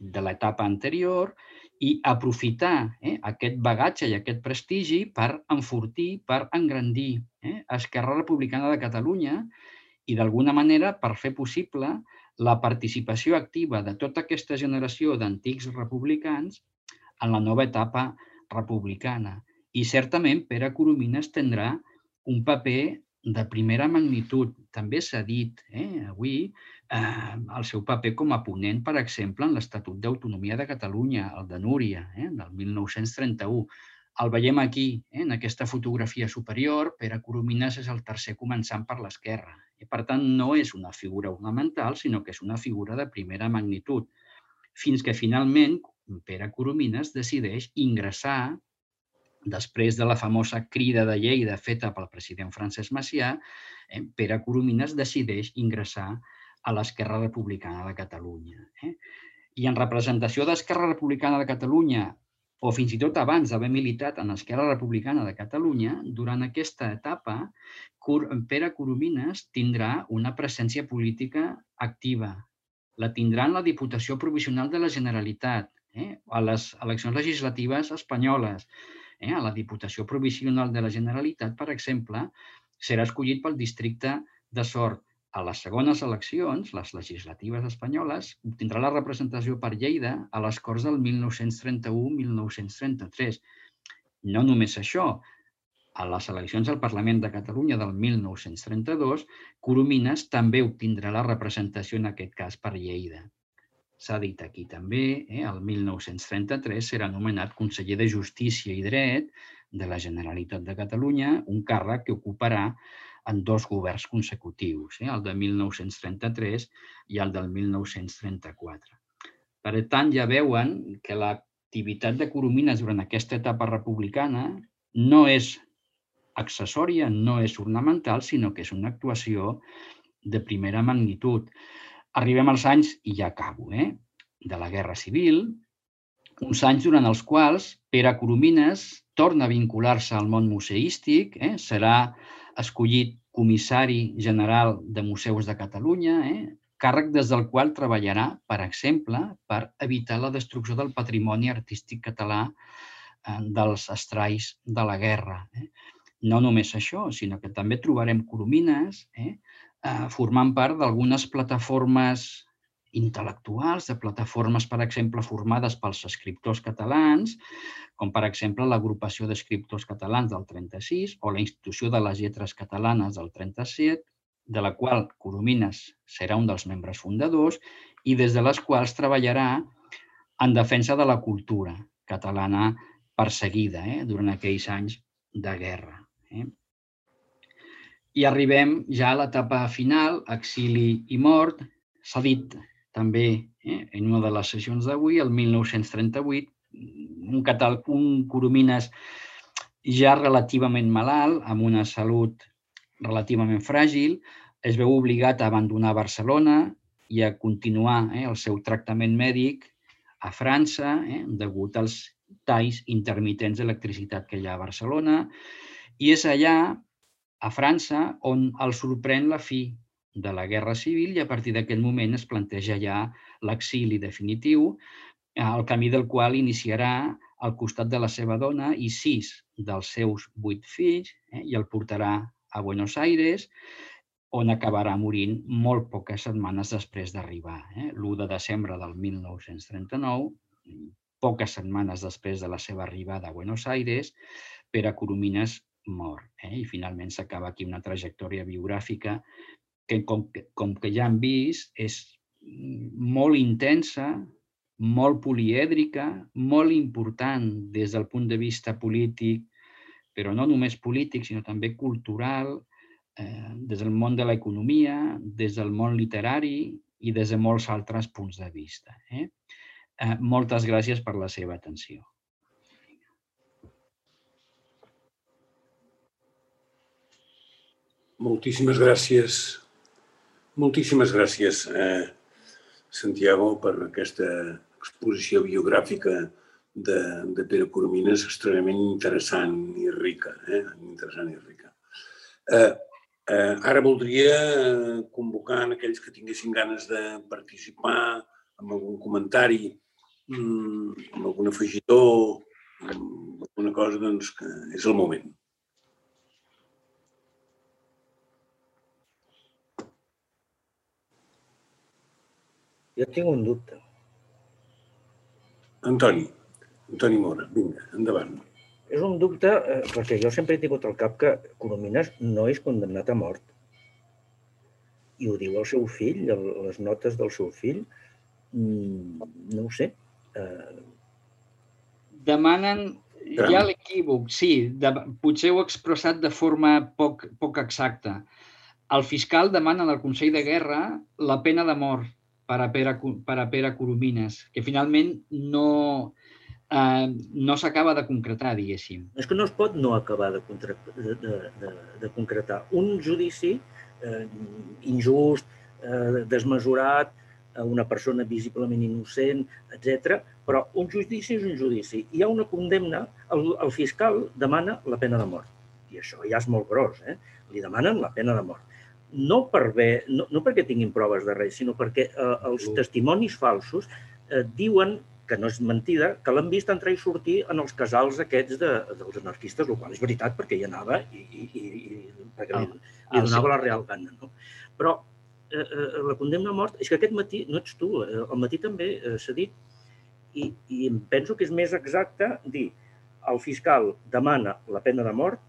de l'etapa anterior i aprofitar eh, aquest bagatge i aquest prestigi per enfortir, per engrandir eh, Esquerra Republicana de Catalunya i d'alguna manera per fer possible la participació activa de tota aquesta generació d'antics republicans en la nova etapa republicana. I certament Pere Coromines tindrà un paper de primera magnitud. També s'ha dit eh, avui eh, el seu paper com a ponent, per exemple, en l'Estatut d'Autonomia de Catalunya, el de Núria, eh, del mil nou-cents trenta-u. El veiem aquí, eh, en aquesta fotografia superior. Pere Coromines és el tercer començant per l'esquerra. I, per tant, no és una figura ornamental, sinó que és una figura de primera magnitud. Fins que, finalment, Pere Coromines decideix ingressar, després de la famosa crida de Lleida feta pel president Francesc Macià, eh, Pere Coromines decideix ingressar a l'Esquerra Republicana de Catalunya. Eh? I en representació d'Esquerra Republicana de Catalunya, o fins i tot abans d'haver militat en l'Esquerra Republicana de Catalunya, durant aquesta etapa, Pere Coromines tindrà una presència política activa. La tindrà en la Diputació Provisional de la Generalitat, eh? a les eleccions legislatives espanyoles. Eh? A la Diputació Provisional de la Generalitat, per exemple, serà escollit pel districte de Sort. A les segones eleccions, les legislatives espanyoles, obtindrà la representació per Lleida a les Corts del mil nou-cents trenta-u a mil nou-cents trenta-tres. No només això, a les eleccions al Parlament de Catalunya del mil nou-cents trenta-dos, Coromines també obtindrà la representació, en aquest cas, per Lleida. S'ha dit aquí també, eh, el mil nou-cents trenta-tres serà nomenat conseller de Justícia i Dret de la Generalitat de Catalunya, un càrrec que ocuparà en dos governs consecutius, eh, el de mil nou-cents trenta-tres i el del mil nou-cents trenta-quatre. Per tant, ja veuen que l'activitat de Coromines durant aquesta etapa republicana no és accessòria, no és ornamental, sinó que és una actuació de primera magnitud. Arribem als anys, i ja acabo, eh, de la Guerra Civil, uns anys durant els quals Pere Coromines torna a vincular-se al món museístic, eh, serà escollit comissari general de Museus de Catalunya, eh, càrrec des del qual treballarà, per exemple, per evitar la destrucció del patrimoni artístic català eh, dels estralls de la guerra. Eh. No només això, sinó que també trobarem Coromines eh, eh, formant part d'algunes plataformes intel·lectuals, de plataformes, per exemple, formades pels escriptors catalans, com per exemple l'Agrupació d'Escriptors Catalans del trenta-sis o la Institució de les Lletres Catalanes del trenta-set, de la qual Coromines serà un dels membres fundadors i des de les quals treballarà en defensa de la cultura catalana perseguida eh, durant aquells anys de guerra. Eh. I arribem ja a l'etapa final, exili i mort. S'ha dit també eh, en una de les sessions d'avui, el mil nou-cents trenta-vuit, un, catal, un Coromines ja relativament malalt, amb una salut relativament fràgil, es veu obligat a abandonar Barcelona i a continuar eh, el seu tractament mèdic a França, eh, degut als talls intermitents d'electricitat que hi ha a Barcelona. I és allà, a França, on el sorprèn la fi de la Guerra Civil i a partir d'aquest moment es planteja ja l'exili definitiu, el camí del qual iniciarà al costat de la seva dona i sis dels seus vuit fills eh, i el portarà a Buenos Aires, on acabarà morint molt poques setmanes després d'arribar. Eh? l'u de desembre del mil nou-cents trenta-nou, poques setmanes després de la seva arribada a Buenos Aires, Pere Coromines mor. Eh? I finalment s'acaba aquí una trajectòria biogràfica que, com, com que ja hem vist, és molt intensa, molt polièdrica, molt important des del punt de vista polític, però no només polític, sinó també cultural, eh, des del món de l'economia, des del món literari i des de molts altres punts de vista. Eh? Eh, moltes gràcies per la seva atenció. Moltíssimes gràcies. Moltíssimes gràcies, eh, Santiago, per aquesta exposició biogràfica de, de Pere Coromines extremadament interessant i rica. Eh? Interessant i rica. Eh, eh, ara voldria convocar en aquells que tinguessin ganes de participar amb algun comentari, amb algun afegitó, amb alguna cosa, doncs que és el moment. Jo tinc un dubte. Antoni, Antoni Mora, vinga, endavant. És un dubte perquè jo sempre he tingut al cap que Coromines no és condemnat a mort. I ho diu el seu fill, les notes del seu fill. No ho sé. Demanen, hi ha l'equívoc, sí, potser ho he expressat de forma poc, poc exacta. El fiscal demana al Consell de Guerra la pena de mort per a Pere, per a Pere Coromines, que finalment no, eh, no s'acaba de concretar, diguéssim. És que no es pot no acabar de, de, de, de concretar. Un judici eh, injust, eh, desmesurat, a una persona visiblement innocent, etcètera. Però un judici és un judici. Hi ha una condemna, el, el fiscal demana la pena de mort. I això ja és molt gros, eh? Li demanen la pena de mort. No, per bé, no, no perquè tinguin proves de res, sinó perquè eh, els testimonis falsos eh, diuen, que no és mentida, que l'han vist entrar i sortir en els casals aquests de, dels anarquistes, el qual és veritat perquè hi anava i, i, i, i perquè li, li donava la real gana. No? Però eh, la condemna a mort, és que aquest matí, no ets tu, eh, al matí també eh, s'ha dit, i, i em penso que és més exacte dir el fiscal demana la pena de mort.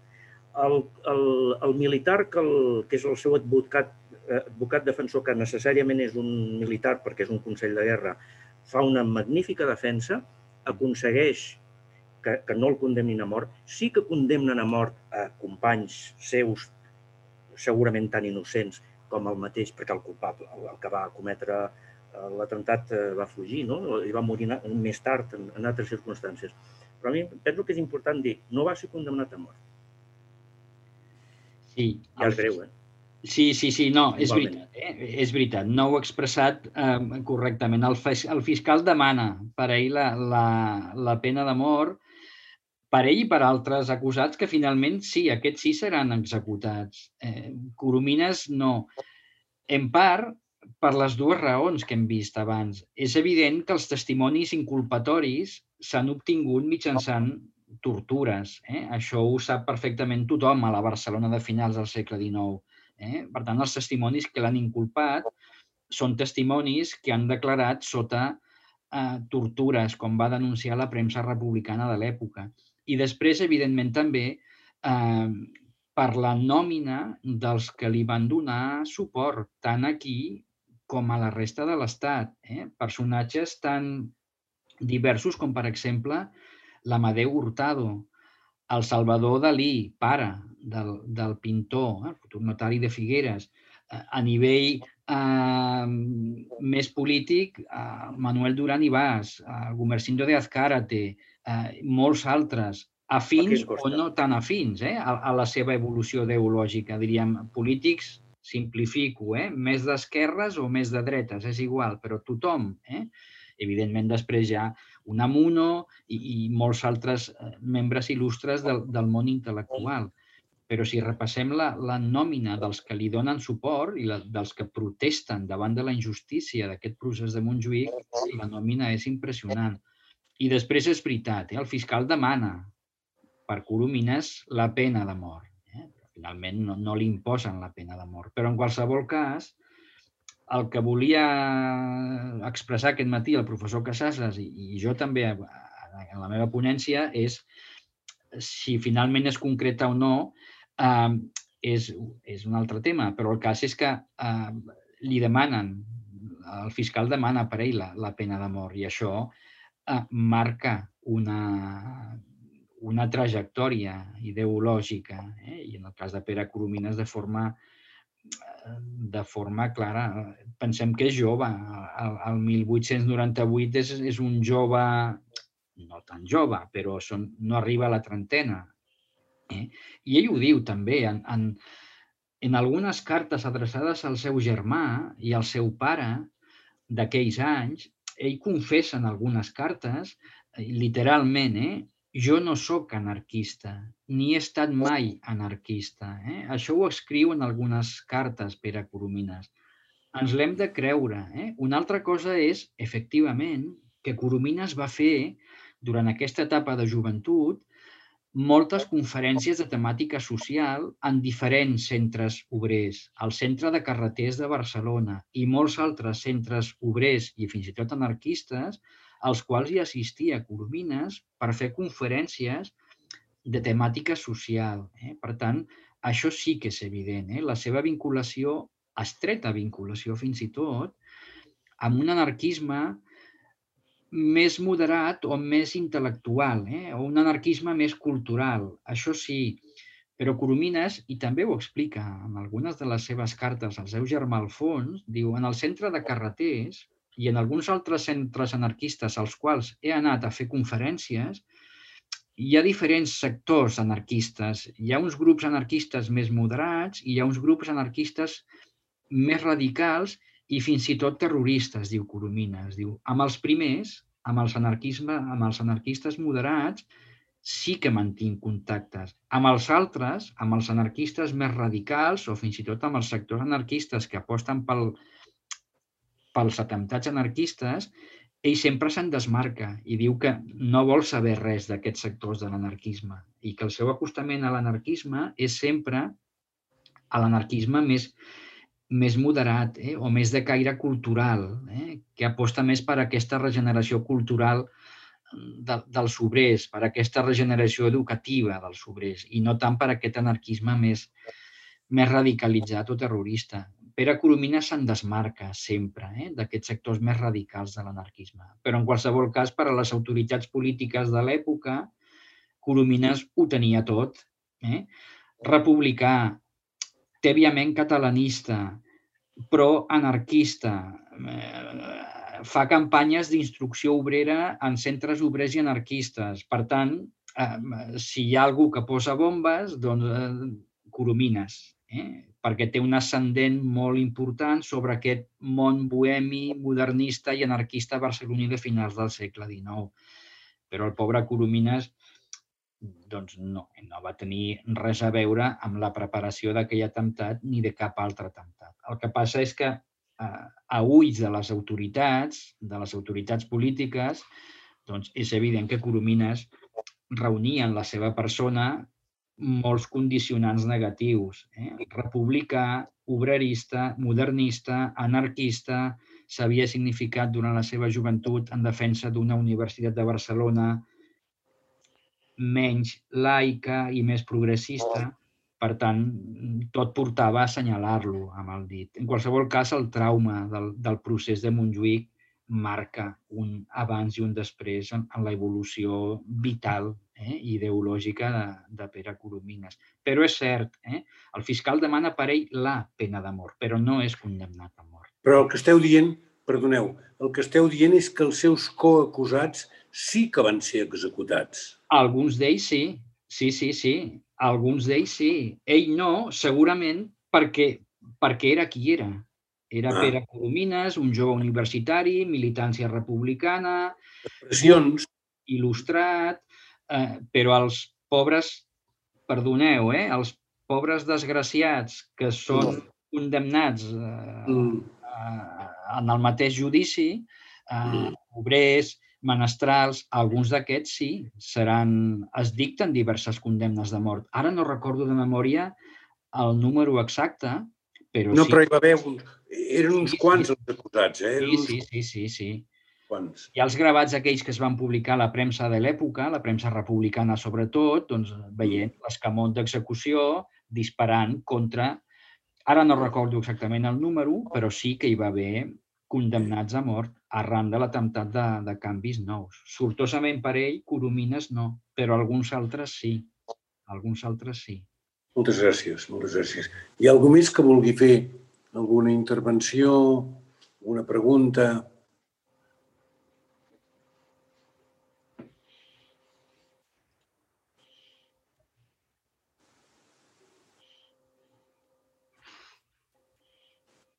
El, el, el militar, que, el, que és el seu advocat, advocat defensor, que necessàriament és un militar perquè és un consell de guerra, fa una magnífica defensa, aconsegueix que, que no el condemnin a mort. Sí que condemnen a mort a companys seus, segurament tan innocents com el mateix, perquè el culpable, el que va cometre l'atemptat va fugir, no? I va morir més tard en, en altres circumstàncies. Però a mi penso que és important dir, no va ser condemnat a mort. Sí, ja és greu, eh? Sí, sí, sí, no, és veritat, eh? És veritat, no ho he expressat eh, correctament. El, el fiscal demana per a ell la, la, la pena de mort, per ell i per altres acusats que finalment sí, aquests sí seran executats. Eh, Coromines no. En part, per les dues raons que hem vist abans. És evident que els testimonis inculpatoris s'han obtingut mitjançant tortures. Eh? Això ho sap perfectament tothom a la Barcelona de finals del segle dinou. Eh? Per tant, els testimonis que l'han inculpat són testimonis que han declarat sota eh, tortures, com va denunciar la premsa republicana de l'època. I després, evidentment, també eh, per la nòmina dels que li van donar suport, tant aquí com a la resta de l'Estat. Eh? Personatges tan diversos com, per exemple, l'Amadeu Hurtado, el Salvador Dalí, pare del, del pintor, el futur notari de Figueres. A nivell eh, més polític, eh, Manuel Duran i Bas, eh, Gumersindo de Azcárate, eh, molts altres, afins o no tan afins eh, a, a la seva evolució ideològica. Diríem, polítics, simplifico, eh, més d'esquerres o més de dretes, és igual, però tothom. Eh? Evidentment, després hi ha Unamuno i, i molts altres membres il·lustres del, del món intel·lectual. Però si repassem la, la nòmina dels que li donen suport i la, dels que protesten davant de la injustícia d'aquest procés de Montjuïc, la nòmina és impressionant. I després és veritat, eh? El fiscal demana per Coromines la pena de mort. Eh? Finalment no, no li imposen la pena de mort. Però en qualsevol cas, el que volia expressar aquest matí el professor Casases i, i jo també en la meva ponència és si finalment es concreta o no, eh, és, és un altre tema, però el cas és que eh, li demanen, el fiscal demana per ell la, la pena de mort i això eh, marca una, una trajectòria ideològica eh? I en el cas de Pere Coromines de forma de forma clara. Pensem que és jove. El mil vuit-cents noranta-vuit és, és un jove, no tan jove, però són, no arriba a la trentena. Eh? I ell ho diu també en, en, en algunes cartes adreçades al seu germà i al seu pare, d'aquells anys, ell confessa en algunes cartes, literalment, eh, jo no sóc anarquista, ni he estat mai anarquista. Eh? Això ho escriu en algunes cartes Pere Coromines. Ens l'hem de creure. Eh? Una altra cosa és, efectivament, que Coromines va fer, durant aquesta etapa de joventut, moltes conferències de temàtica social en diferents centres obrers, al Centre de Carreters de Barcelona i molts altres centres obrers i fins i tot anarquistes, als quals hi assistia Coromines per fer conferències de temàtica social. Eh? Per tant, això sí que és evident. Eh? La seva vinculació, estreta vinculació fins i tot, amb un anarquisme més moderat o més intel·lectual, eh? o un anarquisme més cultural. Això sí, però Coromines, i també ho explica en algunes de les seves cartes al seu germà Alfons, diu, en el Centre de Carreters i en alguns altres centres anarquistes als quals he anat a fer conferències, hi ha diferents sectors anarquistes. Hi ha uns grups anarquistes més moderats i hi ha uns grups anarquistes més radicals i fins i tot terroristes, diu Coromines. Diu, amb els primers, amb els, amb els anarquistes moderats, sí que mantinc contactes. Amb els altres, amb els anarquistes més radicals o fins i tot amb els sectors anarquistes que aposten pel, pels atemptats anarquistes, ell sempre se'n desmarca i diu que no vol saber res d'aquests sectors de l'anarquisme i que el seu acostament a l'anarquisme és sempre a l'anarquisme més més moderat eh? o més de caire cultural, eh? que aposta més per aquesta regeneració cultural de, dels obrers, per aquesta regeneració educativa dels obrers i no tant per aquest anarquisme més, més radicalitzat o terrorista. Pere Coromines se'n desmarca sempre eh? d'aquests sectors més radicals de l'anarquisme. Però en qualsevol cas, per a les autoritats polítiques de l'època, Coromines ho tenia tot. Eh? Republicà, tèbiament catalanista, però anarquista, eh, fa campanyes d'instrucció obrera en centres obrers i anarquistes. Per tant, eh, si hi ha algú que posa bombes, doncs eh, Coromines, eh? perquè té un ascendent molt important sobre aquest món bohemi, modernista i anarquista barceloní de finals del segle dinou. Però el pobre Coromines doncs no, no va tenir res a veure amb la preparació d'aquell atemptat ni de cap altre atemptat. El que passa és que eh, a ulls de les autoritats, de les autoritats polítiques, doncs és evident que Coromines reunia en la seva persona molts condicionants negatius. Eh? Republicà, obrerista, modernista, anarquista, s'havia significat durant la seva joventut en defensa d'una universitat de Barcelona menys laica i més progressista, per tant, tot portava a assenyalar-lo amb el dit. En qualsevol cas, el trauma del, del procés de Montjuïc marca un abans i un després en, en l'evolució vital eh, i ideològica de, de Pere Coromines. Però és cert, eh, el fiscal demana per ell la pena de mort, però no és condemnat a mort. Però el que esteu dient, perdoneu, el que esteu dient és que els seus coacusats sí que van ser executats. Alguns d'ells sí, sí, sí, sí. Alguns d'ells sí. Ell no, segurament perquè, perquè era qui era. Era ah. Pere Coromines, un jove universitari, militància republicana, expressions, il·lustrat, eh, però els pobres, perdoneu, eh, els pobres desgraciats que són mm. condemnats eh, mm. eh, en el mateix judici, eh, mm. obrers, menestrals, alguns d'aquests sí, seran, es dicten diverses condemnes de mort. Ara no recordo de memòria el número exacte, però no, sí. No, però hi va haver uns, eren uns sí, quants sí. els acusats, eh? Sí, uns... sí, sí, sí, sí. Quants? Hi ha els gravats aquells que es van publicar a la premsa de l'època, la premsa republicana sobretot, doncs veient mm. l'escamot d'execució disparant contra... Ara no recordo exactament el número, però sí que hi va haver condemnats a mort arran de l'atemptat de, de canvis nous. Sortosament per ell, Coromines no, però alguns altres sí. Alguns altres sí. Moltes gràcies, moltes gràcies. Hi ha algú més que vulgui fer alguna intervenció, alguna pregunta?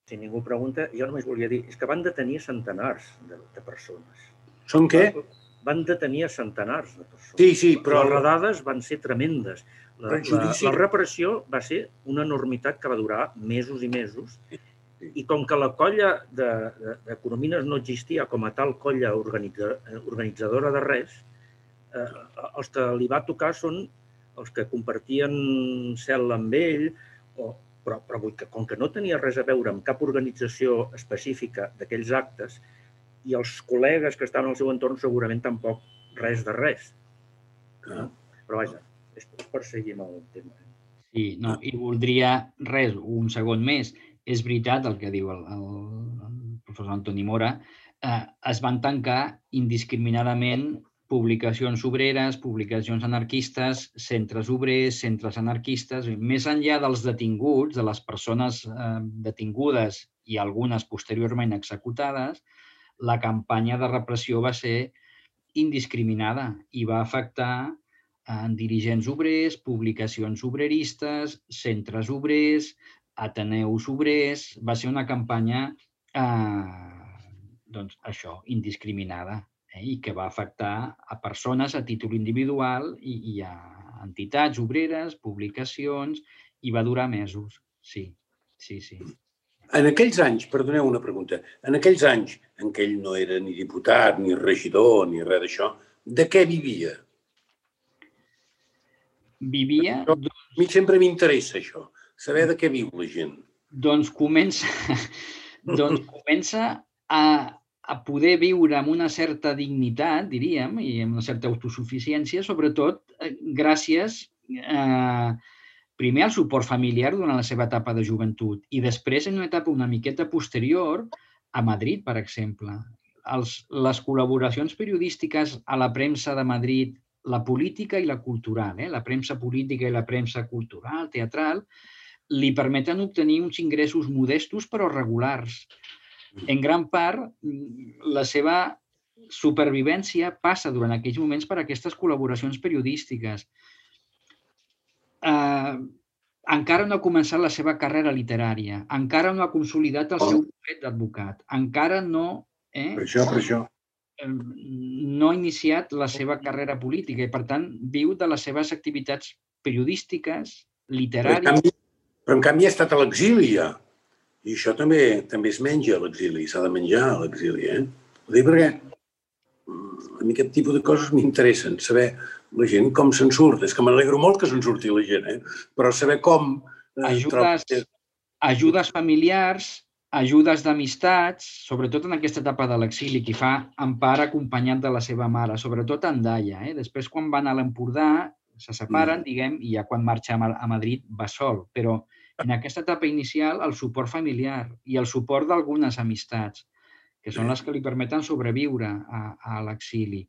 Si ningú pregunta, jo només volia dir, és que van detenir centenars de, de persones. Són què? Van detenir centenars de persones. Sí, sí, però... Les redades van ser tremendes. La, la, la repressió va ser una enormitat que va durar mesos i mesos, i com que la colla d'economines no existia com a tal colla organitza, organitzadora de res, eh, els que li va tocar són els que compartien cel·la amb ell, o, però, però vull que, com que no tenia res a veure amb cap organització específica d'aquells actes, i els col·legues que estaven al seu entorn segurament tampoc res de res. No? Però vaja, és per seguir amb el tema. Sí, no, i voldria res, un segon més. És veritat el que diu el, el, el professor Antoni Mora. Eh, es van tancar indiscriminadament publicacions obreres, publicacions anarquistes, centres obrers, centres anarquistes. Més enllà dels detinguts, de les persones eh, detingudes i algunes posteriorment executades, la campanya de repressió va ser indiscriminada i va afectar eh, dirigents obrers, publicacions obreristes, centres obrers, ateneus obrers. Va ser una campanya, eh, doncs això, indiscriminada, eh, i que va afectar a persones a títol individual i, i a entitats obreres, publicacions, i va durar mesos. Sí, sí, sí. En aquells anys, perdoneu una pregunta, en aquells anys en què ell no era ni diputat, ni regidor, ni res d'això, de què vivia? Vivia... A mi sempre m'interessa això, saber de què viu la gent. Doncs comença, doncs comença a, a poder viure amb una certa dignitat, diríem, i amb una certa autosuficiència, sobretot gràcies a... primer, el suport familiar durant la seva etapa de joventut i després, en una etapa una miqueta posterior, a Madrid, per exemple. Els, les col·laboracions periodístiques a la premsa de Madrid, la política i la cultural, eh? la premsa política i la premsa cultural, teatral, li permeten obtenir uns ingressos modestos però regulars. En gran part, la seva supervivència passa durant aquells moments per aquestes col·laboracions periodístiques. Eh, encara no ha començat la seva carrera literària, encara no ha consolidat el seu bufet d'advocat, encara no, eh, per això, per això. no ha iniciat la seva carrera política i, per tant, viu de les seves activitats periodístiques, literàries. Però, en canvi, però, en canvi, ha estat a l'exili, ja. I això també també es menja a l'exili, s'ha de menjar a l'exili, eh? Ho dic perquè a mi aquest tipus de coses m'interessen, saber la gent com se'n surt. És que m'alegro molt que se'n surti la gent, eh? Però saber com... Eh, ajudes, trob... ajudes familiars, ajudes d'amistats, sobretot en aquesta etapa de l'exili, que fa en part acompanyat de la seva mare, sobretot en Daia. Eh? Després, quan van a l'Empordà, se separen, mm. diguem, i ja quan marxa a Madrid va sol. Però en aquesta etapa inicial, el suport familiar i el suport d'algunes amistats, que són les que li permeten sobreviure a, a l'exili.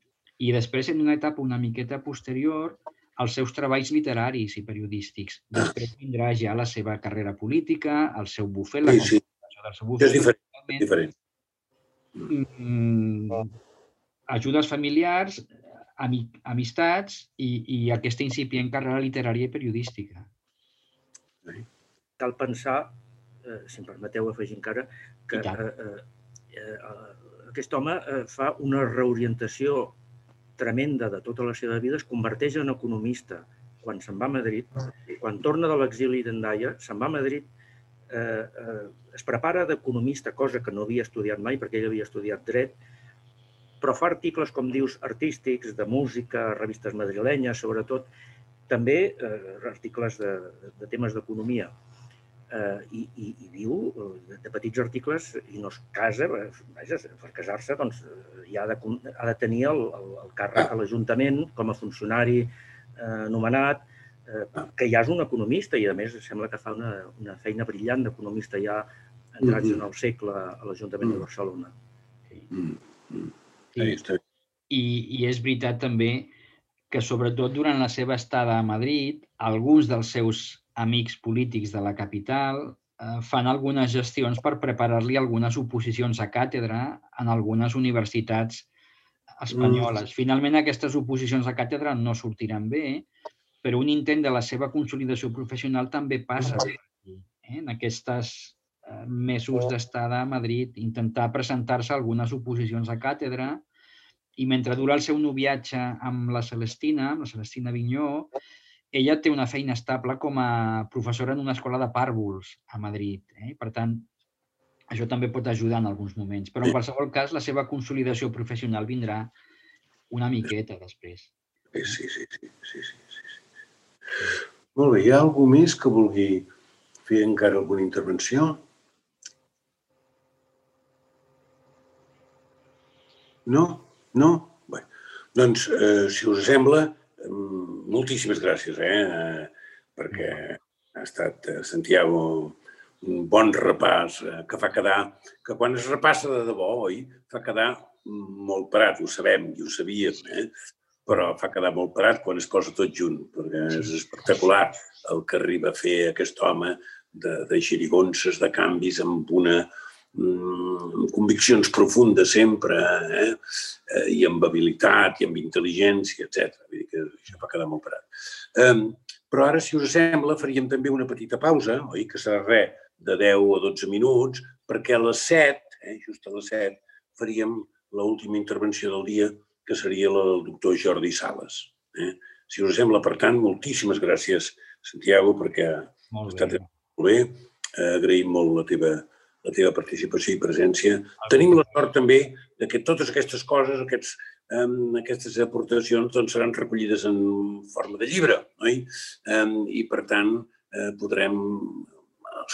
I després, en una etapa una miqueta posterior, els seus treballs literaris i periodístics. Després vindrà ja la seva carrera política, el seu bufet, la sí, sí. del seu bufet. És diferent. diferent. Mm, ajudes familiars, ami, amistats i, i aquesta incipient carrera literària i periodística. Cal pensar, eh, si em permeteu afegir encara, que eh, eh, aquest home fa una reorientació tremenda de tota la seva vida, es converteix en economista quan se'n va a Madrid, quan torna de l'exili d'Hendaia, se'n va a Madrid, eh, eh, es prepara d'economista, cosa que no havia estudiat mai perquè ell havia estudiat dret, però fa articles, com dius, artístics, de música, revistes madrilenyes, sobretot, també eh, articles de, de temes d'economia. Uh, i, i, i viu de, de petits articles i no es casa, vaja, per casar-se doncs, ja ha de, ha de tenir el, el, el càrrec a l'Ajuntament com a funcionari eh, nomenat, eh, que ja és un economista i a més sembla que fa una, una feina brillant d'economista ja entrats en el segle a l'Ajuntament de Barcelona. Sí. I, I és veritat també que sobretot durant la seva estada a Madrid, alguns dels seus amics polítics de la capital eh, fan algunes gestions per preparar-li algunes oposicions a càtedra en algunes universitats espanyoles. Mm. Finalment, aquestes oposicions a càtedra no sortiran bé, però un intent de la seva consolidació professional també passa per aquí, eh? en aquestes mesos d'estada a Madrid, intentar presentar-se a algunes oposicions a càtedra, i mentre dura el seu noviatge amb la Celestina, amb la Celestina Vinyó, ella té una feina estable com a professora en una escola de pàrvuls a Madrid. Per tant, això també pot ajudar en alguns moments. Però, en qualsevol cas, la seva consolidació professional vindrà una miqueta després. Sí, sí, sí. sí, sí. Molt bé, hi ha algú més que vulgui fer encara alguna intervenció? No? No? Bé, doncs, si us sembla, moltíssimes gràcies, eh? Perquè ha estat, Santiago, un bon repàs que fa quedar, que quan es repassa de debò, oi, fa quedar molt parat, ho sabem i ho sabíem, eh? Però fa quedar molt parat quan es posa tot junt, perquè és espectacular el que arriba a fer aquest home de xirigonses, de canvis, amb una amb conviccions profundes sempre, i amb habilitat, i amb intel·ligència, etcètera. Vull dir que això va quedar molt parat. Però ara, si us sembla, faríem també una petita pausa, oi? Que serà res de deu a dotze minuts, perquè a les set, just a les set, faríem l'última intervenció del dia, que seria la del doctor Jordi Sales. Si us sembla, per tant, moltíssimes gràcies, Santiago, perquè ha estat molt bé. Agraïm molt la teva la teva participació i presència. Tenim la sort també que totes aquestes coses, aquestes aportacions, seran recollides en forma de llibre, oi? I, per tant, podrem,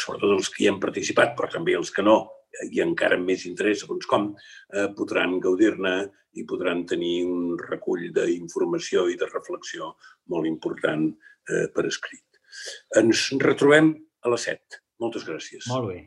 sobretot els que hi han participat, però també els que no, i encara amb més interès, segons com, podran gaudir-ne i podran tenir un recull d'informació i de reflexió molt important per escrit. Ens retrobem a les set. Moltes gràcies. Molt bé.